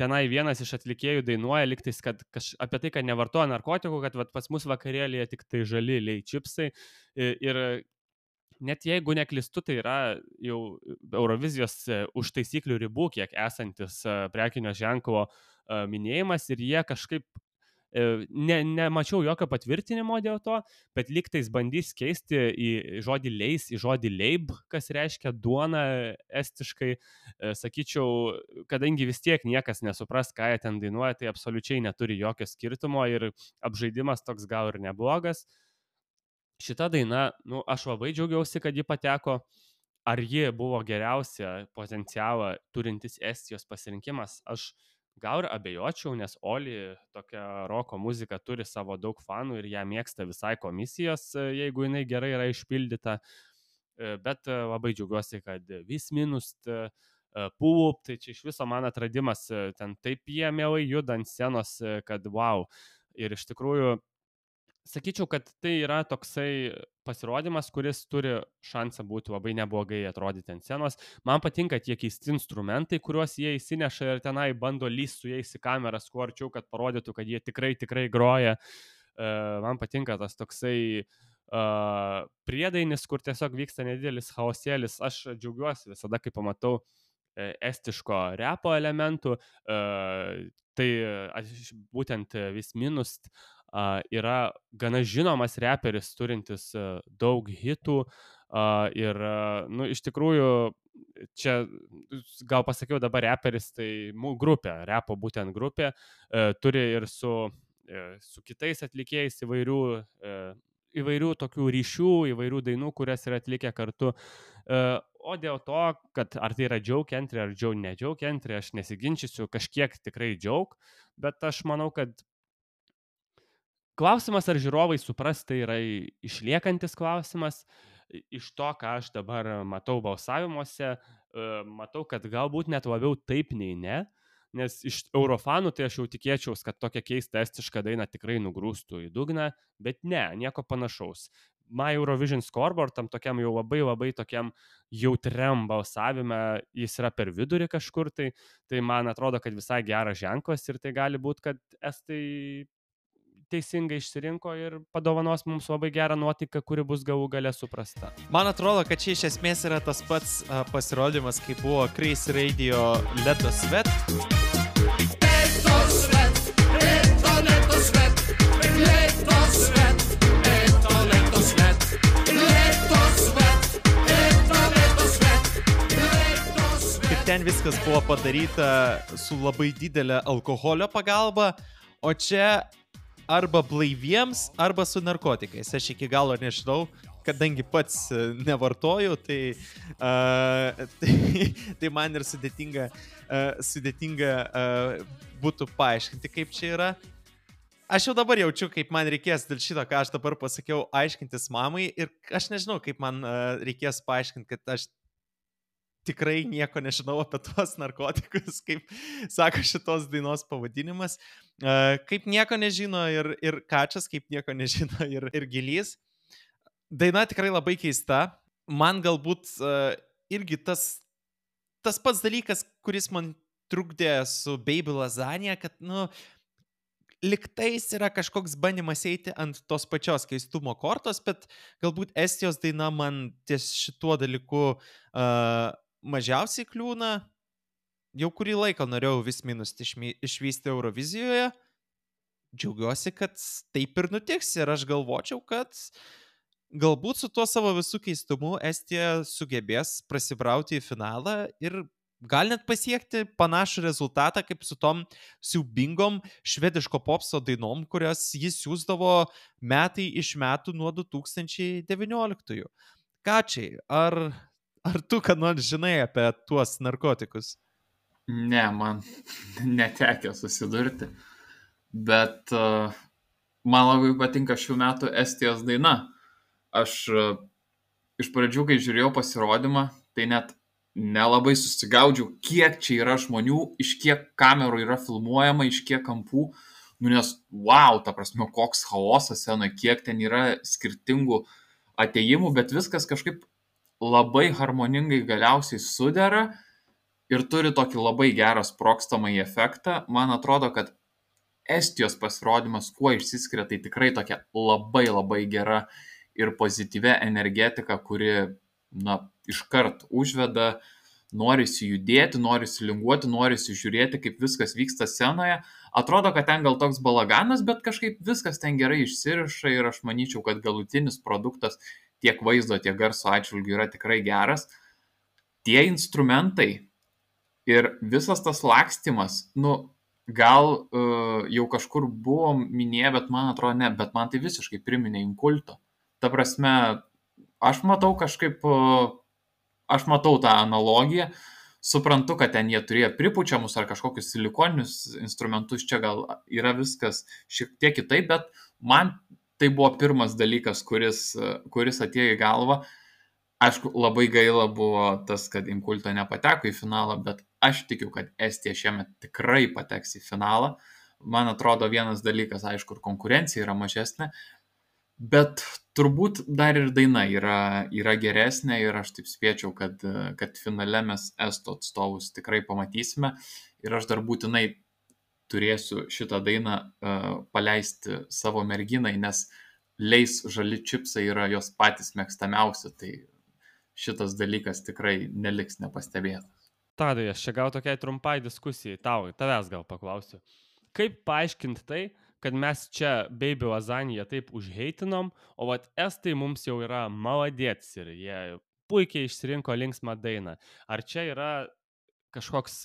tenai vienas iš atlikėjų dainuoja liktais, kad kaž, apie tai, kad nevartoja narkotikų, kad vat, pas mus vakarėlėje tik tai žali lei čipsai. Ir, ir net jeigu neklystu, tai yra jau Eurovizijos už taisyklių ribų, kiek esantis prekinio ženklo minėjimas ir jie kažkaip ne, nemačiau jokio patvirtinimo dėl to, bet lygtais bandys keisti į žodį leis, į žodį leib, kas reiškia duona estiškai. Sakyčiau, kadangi vis tiek niekas nesupras, ką jie ten dainuoja, tai absoliučiai neturi jokio skirtumo ir apžaidimas toks gal ir neblogas. Šita daina, nu, aš labai džiaugiausi, kad ji pateko. Ar ji buvo geriausia potencialą turintis Estijos pasirinkimas? Aš gal ir abejočiau, nes Oli tokia roko muzika turi savo daug fanų ir ją mėgsta visai komisijos, jeigu jinai gerai yra išpildyta. Bet labai džiaugiuosi, kad vis minus Pull Up, tai čia iš viso man atradimas, ten taip jie mielai juda ant scenos, kad wow. Ir iš tikrųjų, sakyčiau, kad tai yra toksai pasirodymas, kuris turi šansą būti labai neblogai atrodyti ant scenos. Man patinka tie keisti instrumentai, kuriuos jie įsineša ir tenai bando lįsti su jais į kameras kuo arčiau, kad parodytų, kad jie tikrai, tikrai groja. Man patinka tas toksai uh, priedainis, kur tiesiog vyksta nedidelis chaosėlis. Aš džiaugiuosi visada, kai pamatau estiško repo elementų. Uh, tai būtent vis minus Uh, yra gana žinomas reperis, turintis uh, daug hitų uh, ir, uh, nu, iš tikrųjų, čia gal pasakiau dabar reperis, tai mū, grupė, repo būtent grupė, uh, turi ir su, uh, su kitais atlikėjais įvairių, uh, įvairių tokių ryšių, įvairių dainų, kurias yra atlikę kartu. Uh, O dėl to, kad ar tai yra joke entry, ar joke, ne joke entry, aš nesiginčysiu, kažkiek tikrai joke, bet aš manau, kad klausimas, ar žiūrovai supras, tai yra išliekantis klausimas. Iš to, ką aš dabar matau balsavimuose, matau, kad galbūt net labiau taip nei ne, nes iš Eurofanų tai aš jau tikėčiaus, kad tokia keista estiška daina tikrai nugrūstų į dugną, bet ne, nieko panašaus. My Eurovision Scoreboard, tam tokiam jau labai labai tokiam jautriam balsavime, jis yra per vidurį kažkur, tai, tai man atrodo, kad visai geras ženklas ir tai gali būti, kad estai teisingai išsirinko ir padovanos mums labai gerą nuotaiką, kuri bus galų gale suprasta. Man atrodo, kad čia iš esmės yra tas pats uh, pasirodymas, kaip buvo Crazy Radio Leto Svet. Leto Svet, Leto, Leto Svet, Leto Svet, Leto, Leto Svet, Leto Svet, Leto, Leto Svet, Leto Svet. Ir ten viskas buvo padaryta su labai didelė alkoholio pagalba, o čia arba blaiviems, arba su narkotikais. Aš iki galo nežinau, kadangi pats nevartoju, tai, uh, tai, tai man ir sudėtinga, uh, sudėtinga uh, būtų paaiškinti, kaip čia yra. Aš jau dabar jaučiu, kaip man reikės dėl šito, ką aš dabar pasakiau, aiškintis mamai ir aš nežinau, kaip man uh, reikės paaiškinti, kad aš tikrai nieko nežinau apie tuos narkotikus, kaip sako šitos dainos pavadinimas. Kaip nieko nežino ir, ir Kačas, kaip nieko nežino ir, ir Gilys. Daina tikrai labai keista. Man galbūt uh, irgi tas, tas pats dalykas, kuris man trukdė su Baby Lasagna, kad, nu, liktais yra kažkoks bandymas eiti ant tos pačios keistumo kortos, bet galbūt Estijos daina man ties šituo dalyku uh, mažiausiai kliūna. Jau kurį laiką norėjau vis minus išvysti Eurovizijoje. Džiaugiuosi, kad taip ir nutiks ir aš galvočiau, kad galbūt su tuo savo visų keistumu Estija sugebės prasibrauti į finalą ir gal net pasiekti panašų rezultatą kaip su tom siaubingom švediško popso dainom, kurias jis siųsdavo metai iš metų nuo du tūkstančiai devynioliktųjų. Kačiai, ar, ar tu ką nors žinai apie tuos narkotikus? Ne, man netekė susidurti, bet uh, man labai patinka šių metų Estijos daina. Aš uh, iš pradžių, kai žiūrėjau pasirodymą, tai net nelabai susigaudžiau, kiek čia yra žmonių, iš kiek kamerų yra filmuojama, iš kiek kampų. Nu, nes, wow, ta prasme, koks chaosas scenoje, kiek ten yra skirtingų atėjimų, bet viskas kažkaip labai harmoningai galiausiai sudera. Ir turi tokį labai gerą sprogstamąjį efektą. Man atrodo, kad Estijos pasirodymas, kuo išsiskiria, tai tikrai tokia labai labai gera ir pozityvia energetika, kuri, na, iškart užveda, norisi judėti, norisi linguoti, norisi žiūrėti, kaip viskas vyksta scenoje. Atrodo, kad ten gal toks balaganas, bet kažkaip viskas ten gerai išsiriša ir aš manyčiau, kad galutinis produktas tiek vaizdo, tiek garso atžvilgių yra tikrai geras. Tie instrumentai ir visas tas lakstymas, nu, gal uh, jau kažkur buvo minėję, bet man atrodo ne, bet man tai visiškai priminė Inkulto. Ta prasme, aš matau kažkaip, uh, aš matau tą analogiją, suprantu, kad ten jie turėjo pripučiamus ar kažkokius silikoninius instrumentus, čia gal yra viskas šiek tiek kitaip, bet man tai buvo pirmas dalykas, kuris, uh, kuris atėjo į galvą. Aišku, labai gaila buvo tas, kad Inkulto nepateko į finalą, bet aš tikiu, kad Estija šiemet tikrai pateks į finalą. Man atrodo, vienas dalykas, aišku, ir konkurencija yra mažesnė, bet turbūt dar ir daina yra, yra geresnė ir aš taip spėčiau, kad, kad finale mes Estų atstovus tikrai pamatysime ir aš dar būtinai turėsiu šitą dainą uh, paleisti savo merginai, nes Leis žali čipsai yra jos patys mėgstamiausi, tai šitas dalykas tikrai neliks nepastebėtas. Tadai, aš čia gal tokiai trumpai diskusijai, tau, tavęs gal paklausiu. Kaip paaiškinti tai, kad mes čia Baby Lasagna taip užheitinom, o vat estai mums jau yra maladėts ir jie puikiai išsirinko linksmą dainą. Ar čia yra kažkoks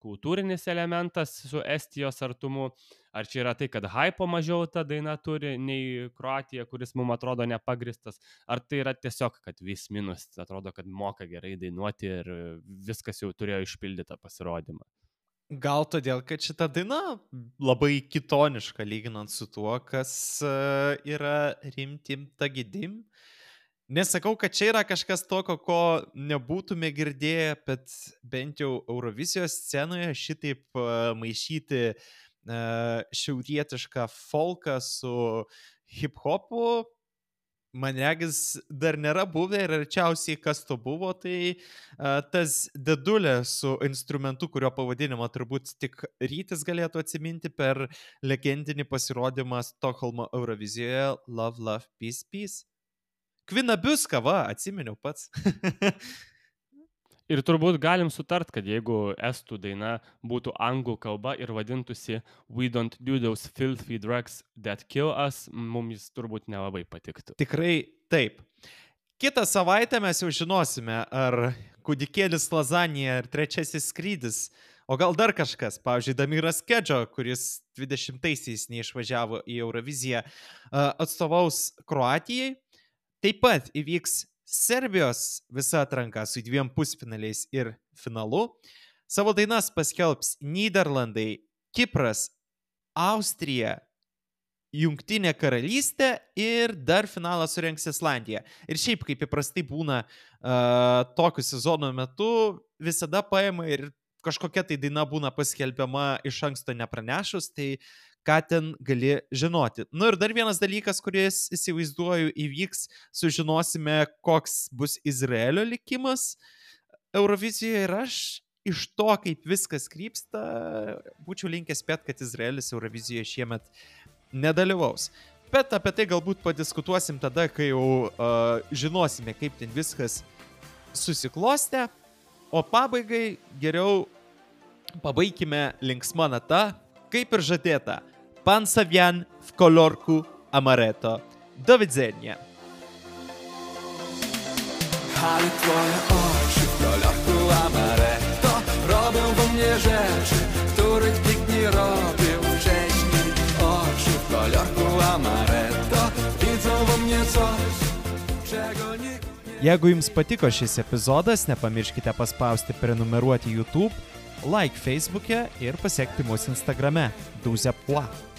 kultūrinis elementas su Estijos artumu, ar čia yra tai, kad hypo mažiau ta daina turi nei Kroatija, kuris mums atrodo nepagristas, ar tai yra tiesiog, kad vis minus atrodo, kad moka gerai dainuoti ir viskas jau turėjo išpildytą pasirodymą. Gal todėl, kad šita daina labai kitoniška lyginant su tuo, kas yra rimtim tagidim. Nesakau, kad čia yra kažkas tokio, ko nebūtume girdėję, bet bent jau Eurovizijos scenoje šitaip maišyti šiaurietišką folką su hip-hopu, man regis, dar nėra buvę ir arčiausiai kas to buvo, tai tas dedulė su instrumentu, kurio pavadinimą turbūt tik Rytis galėtų atsiminti per legendinį pasirodymą Stokholmo Eurovizijoje Love, Love, Peace, Peace. Kvinabiuska, va, atsiminiau pats. Ir turbūt galim sutart, kad jeigu estų daina būtų anglų kalba ir vadintųsi We don't do those filthy drugs that kill us, mums turbūt nelabai patiktų. Tikrai taip. Kitą savaitę mes jau žinosime, ar kūdikėlis lazanija ir trečiasis skrydis, o gal dar kažkas, pavyzdžiui, Damiras Kedžo, kuris dvidešimtaisiais neišvažiavo į Euroviziją, atstovaus Kroatijai. Taip pat įvyks Serbijos visa atranka su dviem pusfinaliais ir finalu. Savo dainas paskelbs Nyderlandai, Kipras, Austrija, Jungtinė karalystė ir dar finalą surengs Islandija. Ir šiaip, kaip įprastai būna uh, tokių sezono metu, visada paima ir kažkokia tai daina būna paskelbiama iš anksto nepranešus, tai ką ten gali žinoti. Nu ir dar vienas dalykas, kuris įsivaizduoju įvyks, sužinosime, koks bus Izraelio likimas Eurovizijoje ir aš iš to, kaip viskas krypsta, būčiau linkęs spėti, kad Izraelis Eurovizijoje šiemet nedalyvaus. Bet apie tai galbūt padiskutuosim tada, kai jau uh, žinosime, kaip ten viskas susiklostė. O pabaigai geriau pabaikime linksma nata, kaip ir žadėta. Pan Savian w kolorku amaretto. Do widzenia. Ale twoje oczy w kolorku amaretto robią we mnie rzeczy, których nikt nie robił wcześniej. Oczy w kolorku amaretto widzą we mnie coś, czego nikt nie... Jeigu jums patiko šis epizodas, nepamirškite paspausti prenumeruoti YouTube, like Facebook'e ir pasiekti mus Instagrame. douze pois.